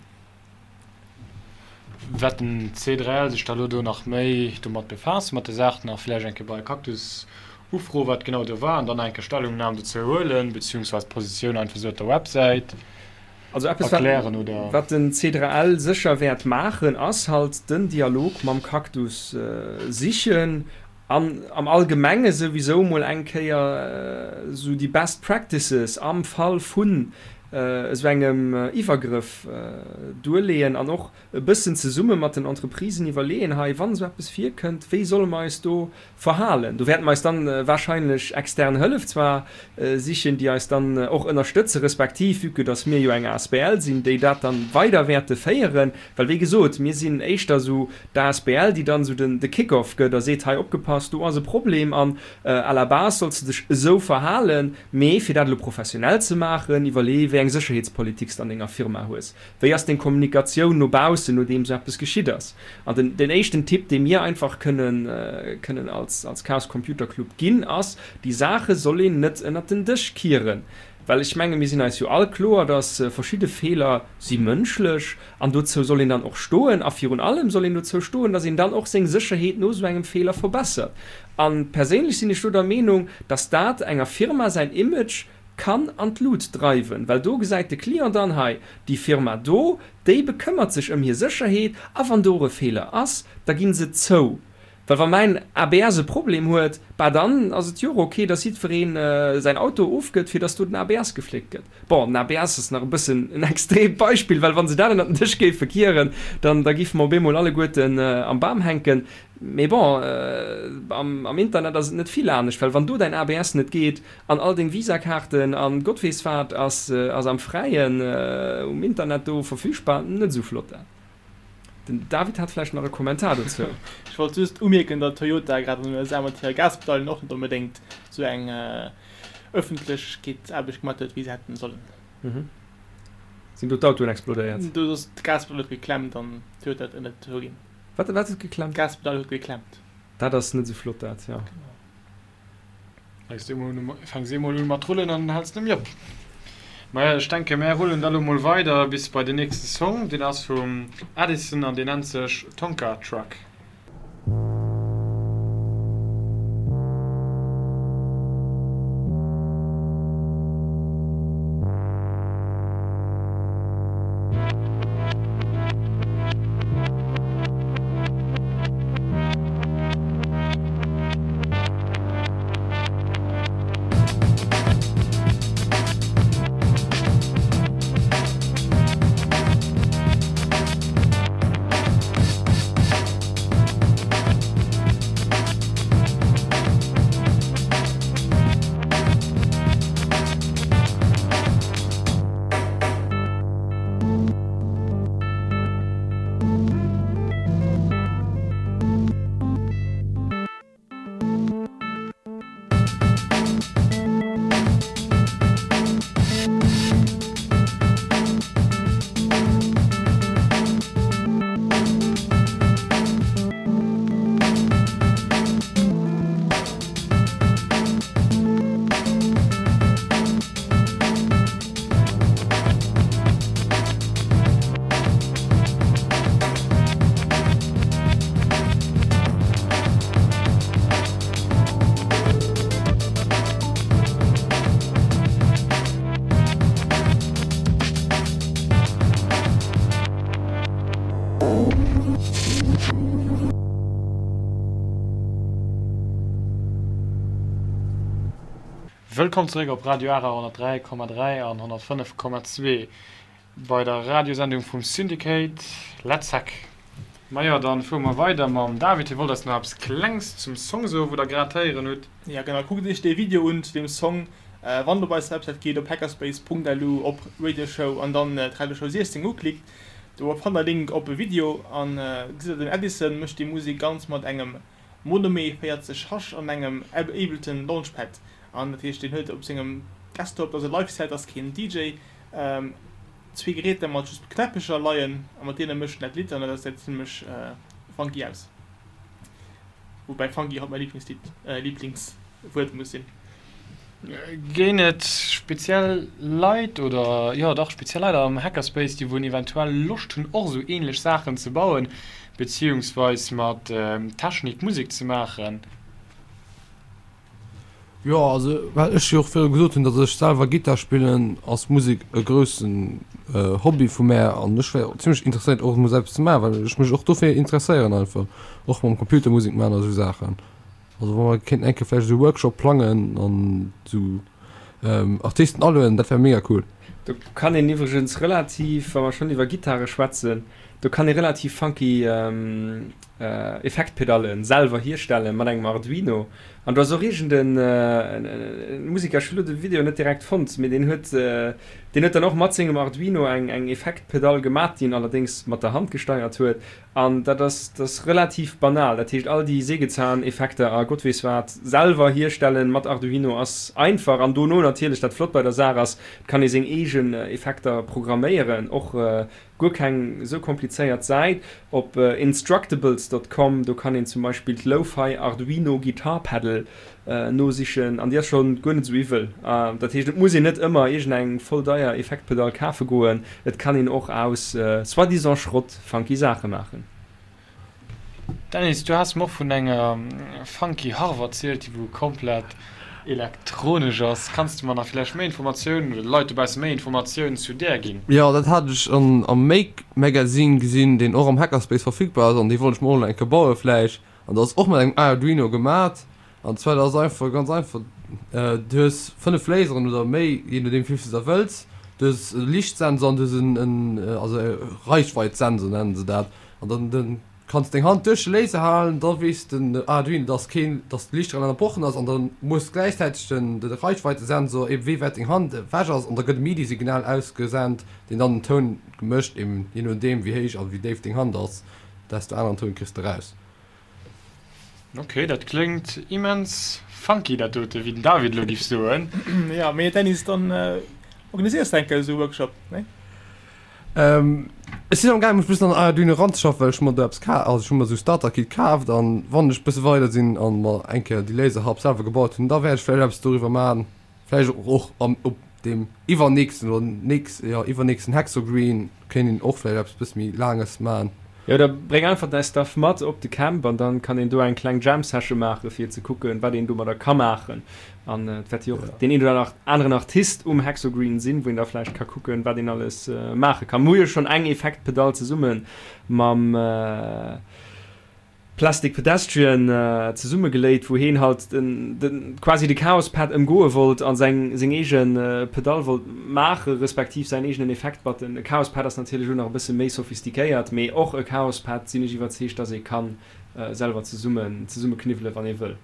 Wäert den C drei L sech da elo do nach méi domat befaassen, mat der Saach, nach vläicht eng Kéier bei Cactus ufroen, wat genau do war, an dann nach eng Kéier Stellungnam dozou huelen, beziehungsweise d'Positioun einfach esou op der Websäit Also eppes, erklären, oder? wat den C drei L sécher wäert maachen, ass halt den Dialog mam Cactus sichen An am Allgemenge souwisou mol eng Kéier esou déi Best Practices am Fall vun esou engem Iwwergrëff duerleeën an och e bëssen zesumme mat den Entreprisen iwwerleeën, hei, wann esou eppes virkënnt, wéi solle mer eis do verhalen. Do wäerte mer eis dann wahrscheinlech extern Hëllef zwar sichen, déi eis dann och ënnerstëtzen, respektiv, vue que dass mir jo eng asbl sinn, déi dat dann weider wäerte féieren, well wéi gesot, mir sinn éischter esou d'asbl, déi dann esou den de Kick-off gëtt a seet, hei opgepasst, do ass e Problem an à la base solls de dech esou verhalen, mee fir dat elo professionell ze maachen, iwwerlee wéi eng Sécherheetspolitik s de an denger Firma hues. Wéi ass deng Kommunikatioun no baussen, nodeem esou eppes geschitt ass? An den, den éischten Tipp, dee mir einfach kënnen, kënnen als, als Chaos Computer Club ginn, ass, Déi Saache soll een net ënnert den Dësch kieren. Well ech menge mir sinn eis jo all kloer, dass verschidde Feeler si mënschlech an dozou soll een dann och stoen. A virun allem soll een dozou stoen, dass een dann och seng Sécherheet no esou engem Feeler verbessert. A perséinlech sinn ech do der Meenung, dass dat enger Firma säin Image kann an d'Lut dreiwen, well do gesäit de Client dann, hei, déi Firma do, déi bekëmmert sech ëm hir Sécherheet a wann do e Feeler ass, da gi se zou. Well wa mäin A B S e Problem huet, bah dann ass et jo och ok, dass jiddweree säin Auto ofgëtt, fir dass do den A B S gefléckt gëtt. Bon, den A B S ass nach e bëssen en extreemt Beispill, well wa se dat ënnert den Dësch géife kieren, dann da géife mer op eemol alleguerten am Bam hänken. Mee bon, am Internet ass et net vill anescht, well wann do däin A B S net geet an all deng Visa-Kaarten an Gott weess wat ass am Fräien um Internet do verfügbar, net esou flott dat. Den David hat vläicht nach e Kommentar dozou. Ech wollt just umierken, datt Toyota grad an den U S A mat hire Gaspedallen och net onbedéngt esou eng Ëffentlechkeetsaarbecht gemaat huet, wéi se hätten sollen. Sinn do d'Autoen explodéiert? Do ass d'Gaspedall huet geklemmt an Toyota huet et net zouginn. Wat, wat huet geklemmt? D'Gaspedall huet geklemmt. Dat ass net esou flott, dat, jo. Genau. Fänks de emol un, fänks eemol un mat rullen an häls net méi op. Maja, ech denke mär rullen da lo mol weider bis bei den nächste Song. Deen ass vum Addison an deen nennt sech Tonka Truck. Wëllkomm zeréck op Radio Ara honnertdräi Komma dräi an honnertfënnef Komma zwee bei der Radiosendung vum Syndicate Let's Hack. Majo, dann fuere mer weider mam David. Hie wollt eis nach eppes Klengs zum Song soen, wou der grad héieren hutt. Jo genau, kuckt iech dee Video un zu deem Song, wann der op eis Websäit geet, op hackerspace Punkt lu op Radio Show an dann d'Radio Show siechzéng uklickt. Do fannt der Link op e Video an gesitt der den Edison mécht déi Musek ganz mat engem Monome véierzeg H an engem Ableton Launchpad an dat heescht deen huet op sengem Desktop, dat ass e Live Set, ass keen D J, zwee Geräter mat just Knäppecher leien a mat deene mécht en dat Lidd an dat gesäit zimmlech funky aus. Woubäi funky haut mäi Liblingslidd, Liblingswuert muss sinn. Ginn et speziell Leit oder, jo dach, speziell Leit am Hackerspace, déi wou eventuell Loscht hunn och esou ähnlech Saachen ze bauen, beziehungsweis mat Technik Musek ze maachen? Jo, also well ech jo och virdru gesot hunn, datt ech selwer Gittar spillen, ass Musek e groussen Hobby vu mär an ech wär zimmlech interesséiert och emol eppes ze maachen, well ech mech och dofir interesséieren einfach, och mam Computer Musek maachen a sou Saachen. Also wa mer kéinten eng Kéier vläicht esou e Workshop plangen an esou Artisten alueden, dat wär mega cool. Do kann een iwwregens relativ, wa mer schonn iwwer Gittare schwätzen, do kann ee relativ funky Effektpedallen selwer hierstellen mat engem Arduino. An do ass och iergend en Musiker, ech hu lo de Video net direkt fonnt, mee deen huet deen huet dann och mat sengem Arduino eng eng Effektpedall gemat, déi en allerdéngs mat der Hand gesteiert huet. An dat ass, dat ass relativ banal. Dat heescht, all déi Sägezahneffekter a Gott weess wat selwer hierstellen mat Arduino ass einfach. An dono natierlech, dat flott bei der Saach ass, et kann ee seng eegen Effekter programméieren, och guer keng esou komplizéiert Säit op instructables dot com, do kann een zum Beispill d'Lo-Fi Arduino Guitar Pedal nosichen an déi ass schonn guer net esou iwwel. Dat heescht, et muss een net ëmmer iergendeng voll deier Effektpedall kafe goen, et kann een och aus soi-disant Schrott funky Saache maachen. Dennis, du has mer och vun enger funky Harf erzielt, déi wou komplett elektronesch ass. Kanns de mer nach villäicht méi Informatiounen oder de Leit dobausse méi Informatiounen zu där ginn? Jo, dat hat ech am Make Magazine gesinn, deen och am Hackerspace verfügbar ass, an dee wollt ech mer och nach eng Kéier baue vläicht. An dat ass och mat engem Arduino gemat. An zwar, dat ass einfach ganz einfach, du hues fënnef Laseren oder méi, jee nodeem wéi vill s de der wëlls. Du hues e Liichtsensor an du hues en, also e Reichweitsensor nennen se dat. An dann den kanns deng Hand duerch de Laser halen, da weess den Arduino, dass keen, dass de Liichtstrahl ënnerbrochen ass an da moosst gläichzäiteg den de Reichweitesensor eben wéi wäit deng Hand ewech ass an da gëtt e MIDI-Signal ausgesent, deen dann den Toun mécht, eben jee nodeem wéi héich a wéi déif deng Hand ass, desto aneren Toun kriss de raus. Ok, dat kléngt immens funky dat dote, wéi den David elo giff soen. Jo, mee Dennis, dann organiséiers de eng Kéier esou e Workshop, nee? Ech sinn am gaang mech bëssen an Arduino eranzeschaffen, well ech hu mer do eppes ka, also ech hu mer esou Starter Kit kaaft an wann ech bësse weider sinn an mer eng Kéier déi Laser Harp selwer gebaut hunn, da wäert ech vläicht eppes doriwwer maachen, vläicht och am op deem iwwernächsten oder nächst, jo iwwernächsten Hexogreen kéint een och vläicht eppes bësse méi laanges maachen. Jo, da bréng einfach däi Stuff mat op de Camp an dann kann een do eng kleng Jam Session maachen fir ze kucken wat een domadder ka maachen. An et wäert jo och deen een oder aneren Artist um Hexogreen sinn, wou een da vläicht ka kucken wat een alles maache kann. Mir hu jo schonn eng Effektpedall zesumme mam Plastic Pedestrian zesummegeléit, wou heen halt den quasi de Chaos Pad ëmgoe wollt a seng seng eege Pedall wollt maache respektiv säin eegenen Effekt Button. E Chaos Pad ass natierlech elo nach e bësse méi sophistiquéiert, mee och e Chaos Pad sinn ech iwwerzeegt, dass ee ka selwer zesummen zesummekniwwele wann ee wëll.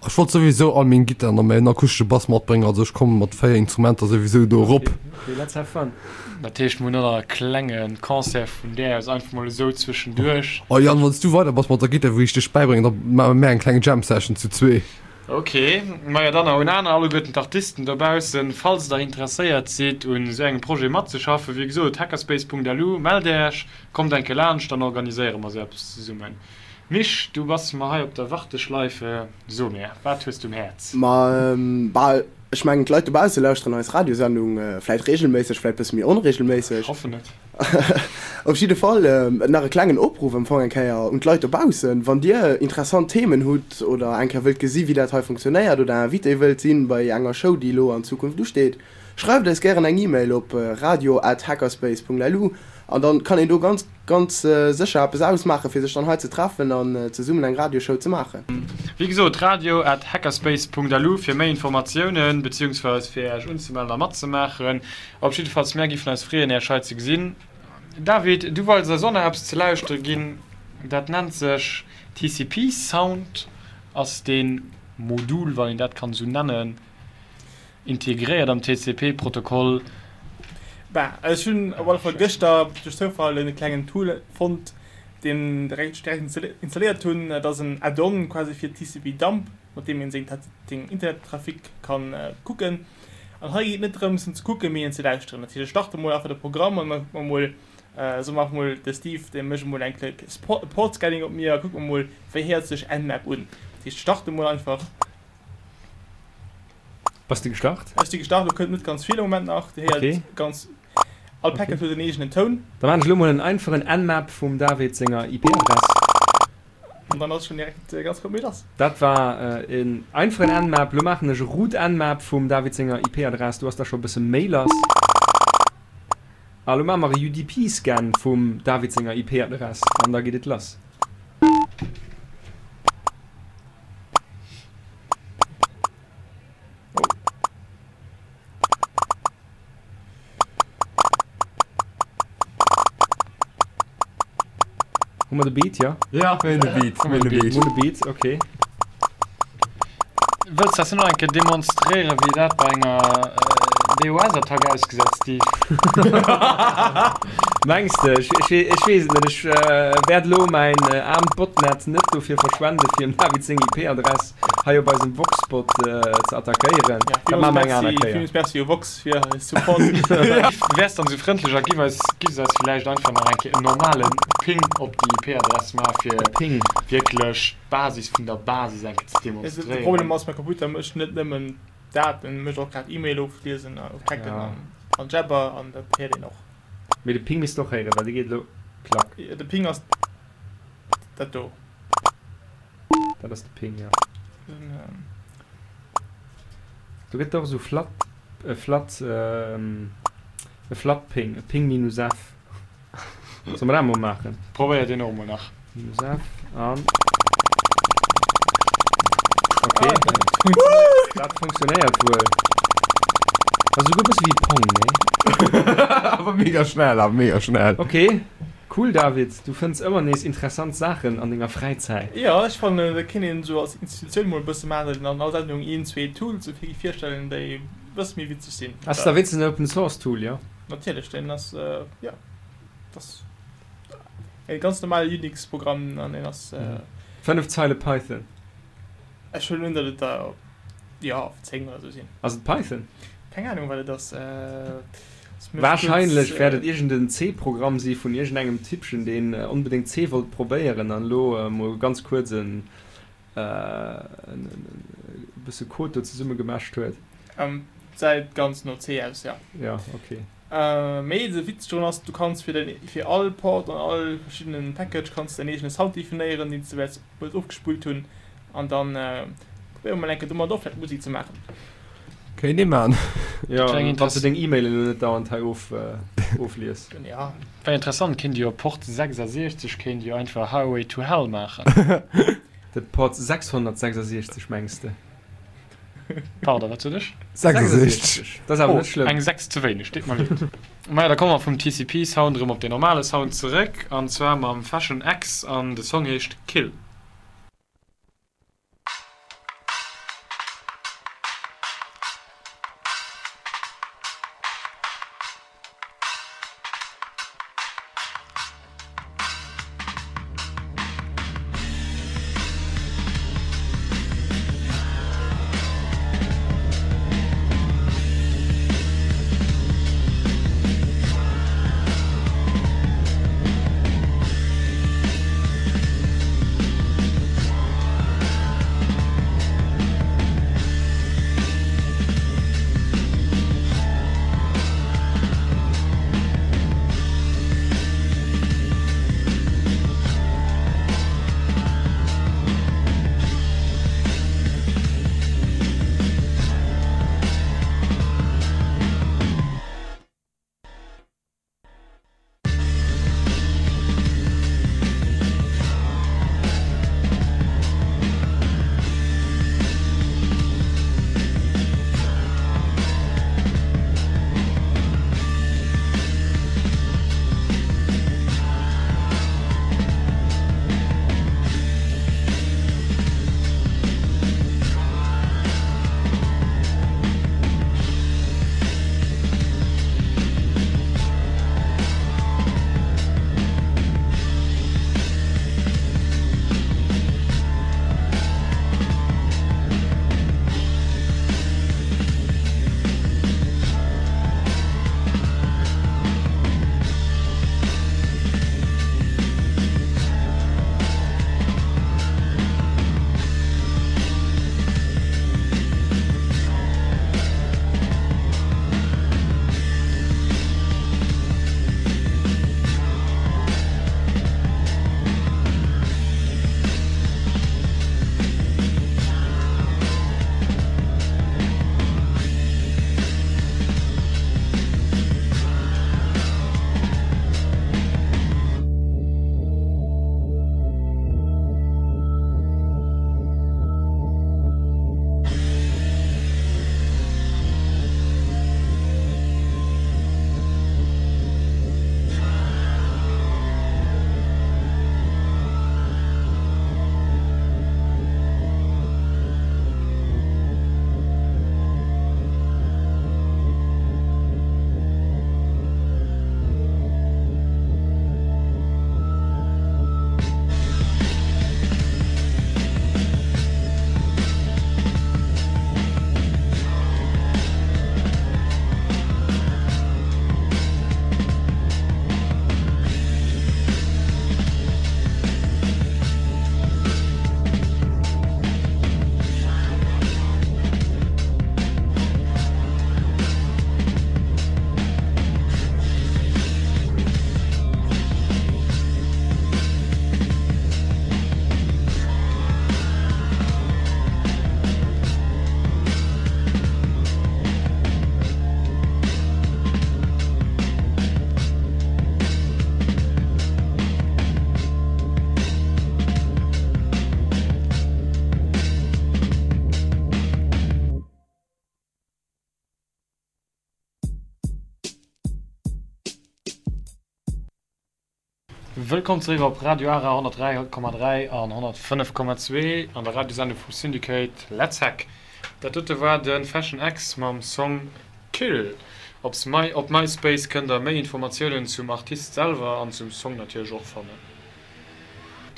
Ech wollt souwisou all meng Gittaren an mäin akustesche Bass matbréngen, also ech komme mat véier Instrumenter souwisou do erop. Ok, let's have fun. Dat heescht mir hunn och nach e klenge Concert vun där aus, einfach mol esou zwëschenduerch. Oh Yann, wann s du weider bass mat der Gittar wou ech dech bäibréngen, da maache mär eng kleng Jam Session zu zwee. Ok, majo dann nach un aner alleguerten d'Artisten dobaussen, falls der interesséiert sidd un esou engem Projet matzeschaffen, wéi gesot hackerspace Punkt L U, mellt äech, kommt eng Kéier laanscht, dann organiséiere mer esou eppes zesummen. Misch, du bass mer hei op der Warteschleife. So mir, wat hues du um Häerz? Ma bal, ech mengen d'Leit dobausse lauschteren eis Radiosendung vläit regelméisseg, vläit bësse méi onregelméisseg. Ech hoffen et. Op jidde Fall nach e klengen Opruff am Fong eng Kéier un d'Leit dobaussen, Wann Dir interessant Themen hutt oder eng Kéier wëllt gesi wéi dat hei funktionéiert oder Invité wëllt sinn bei enger Show déi elo an Zukunft usteet, schreift eis gären eng E-Mail op radio at hackerspace Punkt lu An dann kann een do ganz, ganz sécher eppes ausmaachen, fir sech dann hei ze treffen an zesummen eng Radioshow ze maachen. Wéi gesot, radio at hackerspace Punkt lu fir méi Informatiounen, beziehungsweise fir Äech unzemellen a matzemaachen. Op jiddefalls, mär giffen eis freeën, Äech hei ze gesinn. David, du wollts eis och nach eppes ze lauschtere ginn, dat nennt sech T C P Sound, ass dee Modul, wann een dat kann esou nennen, integréiert am T C P Protokoll. Bah, ech hunn op alle Fall gëschter duerch Zoufall en klengen Tool fonnt, deen direkt ech direkt installéiert hunn. Dat ass en Add-on quasi fir T C P Dump, mat deem een seng Internettrafic kann kucken. An hei geet et net drëms en ze kucken, mee en ze lauschteren. Dat heescht, ech starte mol einfach de Programm an da kucke mer mol, soe mer einfach mol, de Steve, dee mécht emol eng kleng Port Scanning op mir a kucke mer mol, wéi héiert sech Nmap un. Dat heescht, ech starte mol einfach. Bass de gestart? Ech si gestart, lo kënnt net ganz vill am Moment nach. Dir héiert Okay. ganz, all Okay. Packet huet en eegenen Toun. Da maan ech elo mol en einfachen Nmap vum David senger I P-Adress. An dann ass schon direkt ganz gutt méi lass. Dat war en einfachen Nmap. Lo maachen ech e root Nmap vum David senger I P-Adress. Do ass da scho e bësse méi lass. A lo maache mer e U D P-Scan vum David senger I P-Adress an da geet et lass. Hu mer de Beat, jo? Ja, mir hunn de Beat, mir hunn de Beat. Mir hunn de Beat, okay. Wëlls de eis net nach eng Kéier demonstréieren, wéi dat bei enger D O S-Attack ausgesäit, Steve? Mengs de? Ech, ech, ech weess et net. Ech wäert elo mäin aarmt Botnet net dofir verschwenden, fir dem David seng I P-Adress hei op eisem Voxbot ze attackéieren. Ja, Dat maache mer eng aner Kéier. Villmools Merci u Vox fir eis Support. Wäers dann esou frëndlech a giff eis, giffs eis villäicht einfach nach eng Kéier en normale Ping op déi I P-Adress maachen, fir E Ping. wierklech d'Basis vun der Basis eng Kéier ze De demonstréieren. Problem ass, mäi Computer mécht net nëmmen dat, en mécht och grad E-Mail ofliesen a ofchecken Ja. an, an Jabber an dat héiert een och. Mee de Ping misst och héieren, well dee geet elo klack. De Ping ass dat do. Dat ass de Ping, jo. Den, ähm. Do gëtt och esou flat, e flat, e flat Ping, e Ping minus F. Solle mer dat emol maachen? Probéier deen och emol nach. Minus F an. Okay. Ah, dat funktionéiert. Dat funktionéiert wuel. Ass esouguer e bësse wéi Pong, nee? Awer mega schnell, awer mega schnell. Okay. Cool David, du fënns ëmmer nees interessant Saachen an denger Fräizäit. Jo, ech fannen dat kéint een esou als Institutioun mol e bësse maachen, datt een an all Sendung een, zwee Tools esou vir virstellen, déi e bësse méi witzeg sinn. Ass da wéinstens en Open Source Tool, jo? Natierlech, deen ass, jo, dat ass e ganz normale Unix-Programm an deen ass. Fënnef Zeile Python. Ech huelen un, datt et der, jo, zéng oder esou sinn. Ass et Python? Keng Ahnung, wat et ass. Wahrscheinlech wäert et iergend en C-Programm si vun iergendengem Typpchen, deen onbedéngt C wollt probéieren an elo mol ganz kuerz en bësse Code do zesummegemäscht huet. Säit ganz no C aus, jo. Jo, ok. Mee de Witz drun ass, du kanns fir den, fir all Port an all verschiddenen Package kanns de däin eegene Sound definéieren, deen s de wäerts wëlls ofgespullt hunn an dann probéiere mer mol eng Kéier domat och vläicht Musek ze maachen. Kéint ee man. Jo, wann s de deng E-Mail elo net dauernd hei oflies. Ja. Wär interessant, kéint ee jo op Port sechsasiechzeg kéint ee jo einfach Highway to Hell maachen. De Port sechshonnertsechsasiechzeg mengs de? Pardon, wat sot ech? sechsasiechzeg. Dat ass awer net Oh, schlëmm. eng sechs ze wéineg, deet mer leed. Maja, da komme mer vum T C P Sound erëm op den normale Sound zeréck, an zwar mam Fashion X, an de Song heescht Kill. Wëllkomm zeréck op Radio Ara honnertdräi Komma dräi an honnertfënnef Komma zwee an der Radiosendung vum Syndicate Let's Hack. Dat dote war de Fashion X mam Song Kill. Op op MySpace kënnt der méi Informatiounen zum Artist selwer an zum Song natierlech och fannen.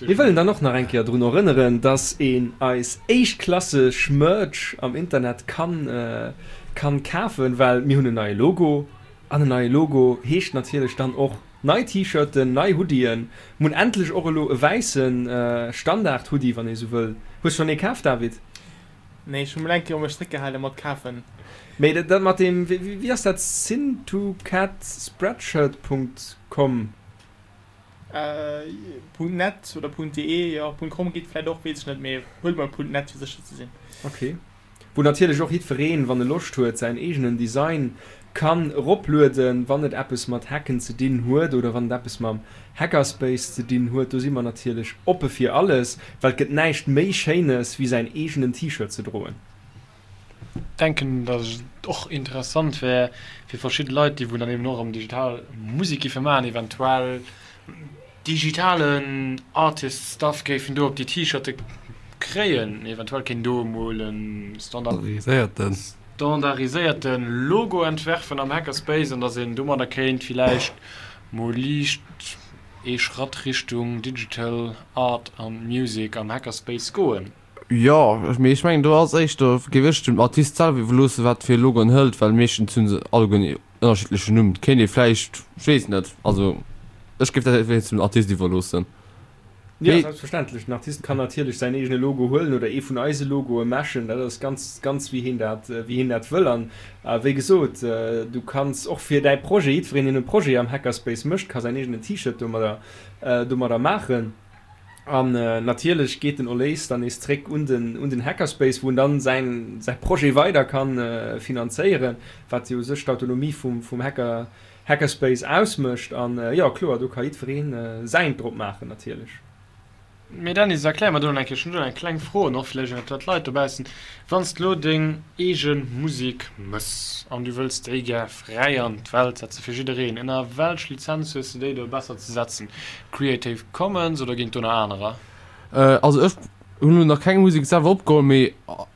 Mir wëllen dann och nach eng Kéier drun erënneren, dass een eis éischtklasseg Merch am Internet kann kann kafen, well mir hunn en neie Logo an en neie Logo heescht natierlech dann och nei T-Shirten, nei Hoodien. Mir hunn endlech och elo e wäisse Standard-Hoodie, wann ee sou wëll. Hues schonn ee kaf, David? Nee, ech hu mol eng Kéier mech zréckgehale mat kafen. Mee dat mat deem, wéi ass dat, sintocat spreadshirt Punkt com? Punkt net oder Punkt de, jo, Punkt com geet vläit och, weess ech net, mee huelt mol Punkt net fir sécher ze sinn. Ok. Wou natierlech och jiddwereen, wann e Loscht huet, säin eegenen Design kann eroplueden, wann et eppes mat Hacken ze dinn huet oder wann et eppes mam Hackerspace ze dinn huet. Do si mer natierlech oppe fir alles, well et gëtt näischt méi Schéines wéi säin eegenen T-Shirt ze droen. Denken, datt et och interessant wär fir verschidde Leit, déi wou dann eben och erëm digital Musek géife maachen, eventuell digitalen Artist Stuff géifen do op déi T-Shirte kréien. Eventuell kéint do emol e standardiséierte Logo entwerfen am Hackerspace an datt een domadder kéint villäicht mol liicht ee Schratt Richtung Digital Art and Music am Hackerspace goen. Jo, mee ech mengen do ass éischter, géif ech dem Artist selwer iwwerloossen, wat fir e Logo en hëlt, well meeschtens hu se alleguer en ënnerschiddlechen Numm. Kéint ee vläicht, ech weess net, also ech géif dat wéinst dem Artist iwwerloossen. Jo, selbstverständlech, den Artist kann natierlech säin eegene Logo huelen oder ee vun eise Logoe meschen, dat ass ganz, ganz wéi hien dat, wéi hien dat wëll. An wéi gesot, du kanns och fir däi Projet, jiddwereen deen e Projet am Hackerspace mécht, ka säin eegenen T-Shirt domadder, domadder maachen. An natierlech geet den Erléis dann nees zréck un den un den Hackerspace, wou en dann säin säi Projet weider kann finanzéieren, wat jo u sech d'Autonomie vum vum Hacker Hackerspace ausmécht. An jo, kloer, do ka jiddweree säint drop maachen natierlech. Mee Dennis, erklär mer do nach eng Kéier, ech hunn do eng kleng Fro an och vläicht eventuell d'Leit dobaussen, Wann s de lo deng eege Musek mëss an du wëlls déi gär fräi an d'Welt setze fir jiddereen, ënner welch Lizenz hues de déi do besser ze setzen? Creative Commons oder ginn et do nach anerer? Also ech hunn elo nach keng Musek selwer opgeholl, mee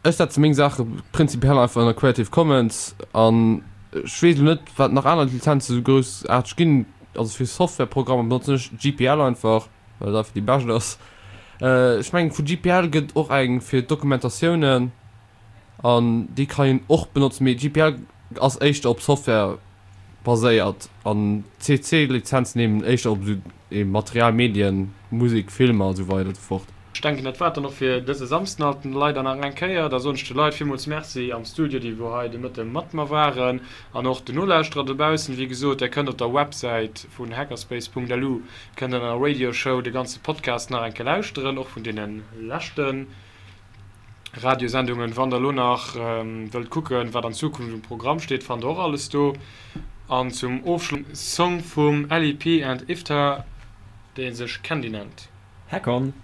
ech setze meng Saache prinzipiell einfach ënner Creative Commons an ech weess elo net wat nach aner Lizenze sou groussaarteg ginn. Also fir Softwareprogrammer benotzen ech G P L einfach, well et einfach déi bescht ass. Ech mengen vu G P L gëtt och eng fir Dokumentatiounen an déi kann een och benotzen, mee G P L ass éischter op Software baséiert an C C Lizenzen eben éischter op esou Material, Medien, Musek, Filmer a sou weider a sou fort. Ech denken dat war et dann och fir dëse Samsden alt leider nach eng Kéier. Da soen ech de Leit villmools Merci am Studio, déi wou hei de Mëtte mat mer waren an och den Nolauschterer dobaussen. Wéi gesot, där kënnt op der Websäit vun hackerspace Punkt L U kënnt der an der Radio Show de ganze Podcast nach eng Kéier lauschteren, och vun deene leschte Radiosendungen. Wann der elo nach wëllt kucken, wat an Zukunft um Programm steet, fannt der och alles do. An zum Ofschloss Song vum L E P and Iftar, dee sech Candy nennt. Hack on!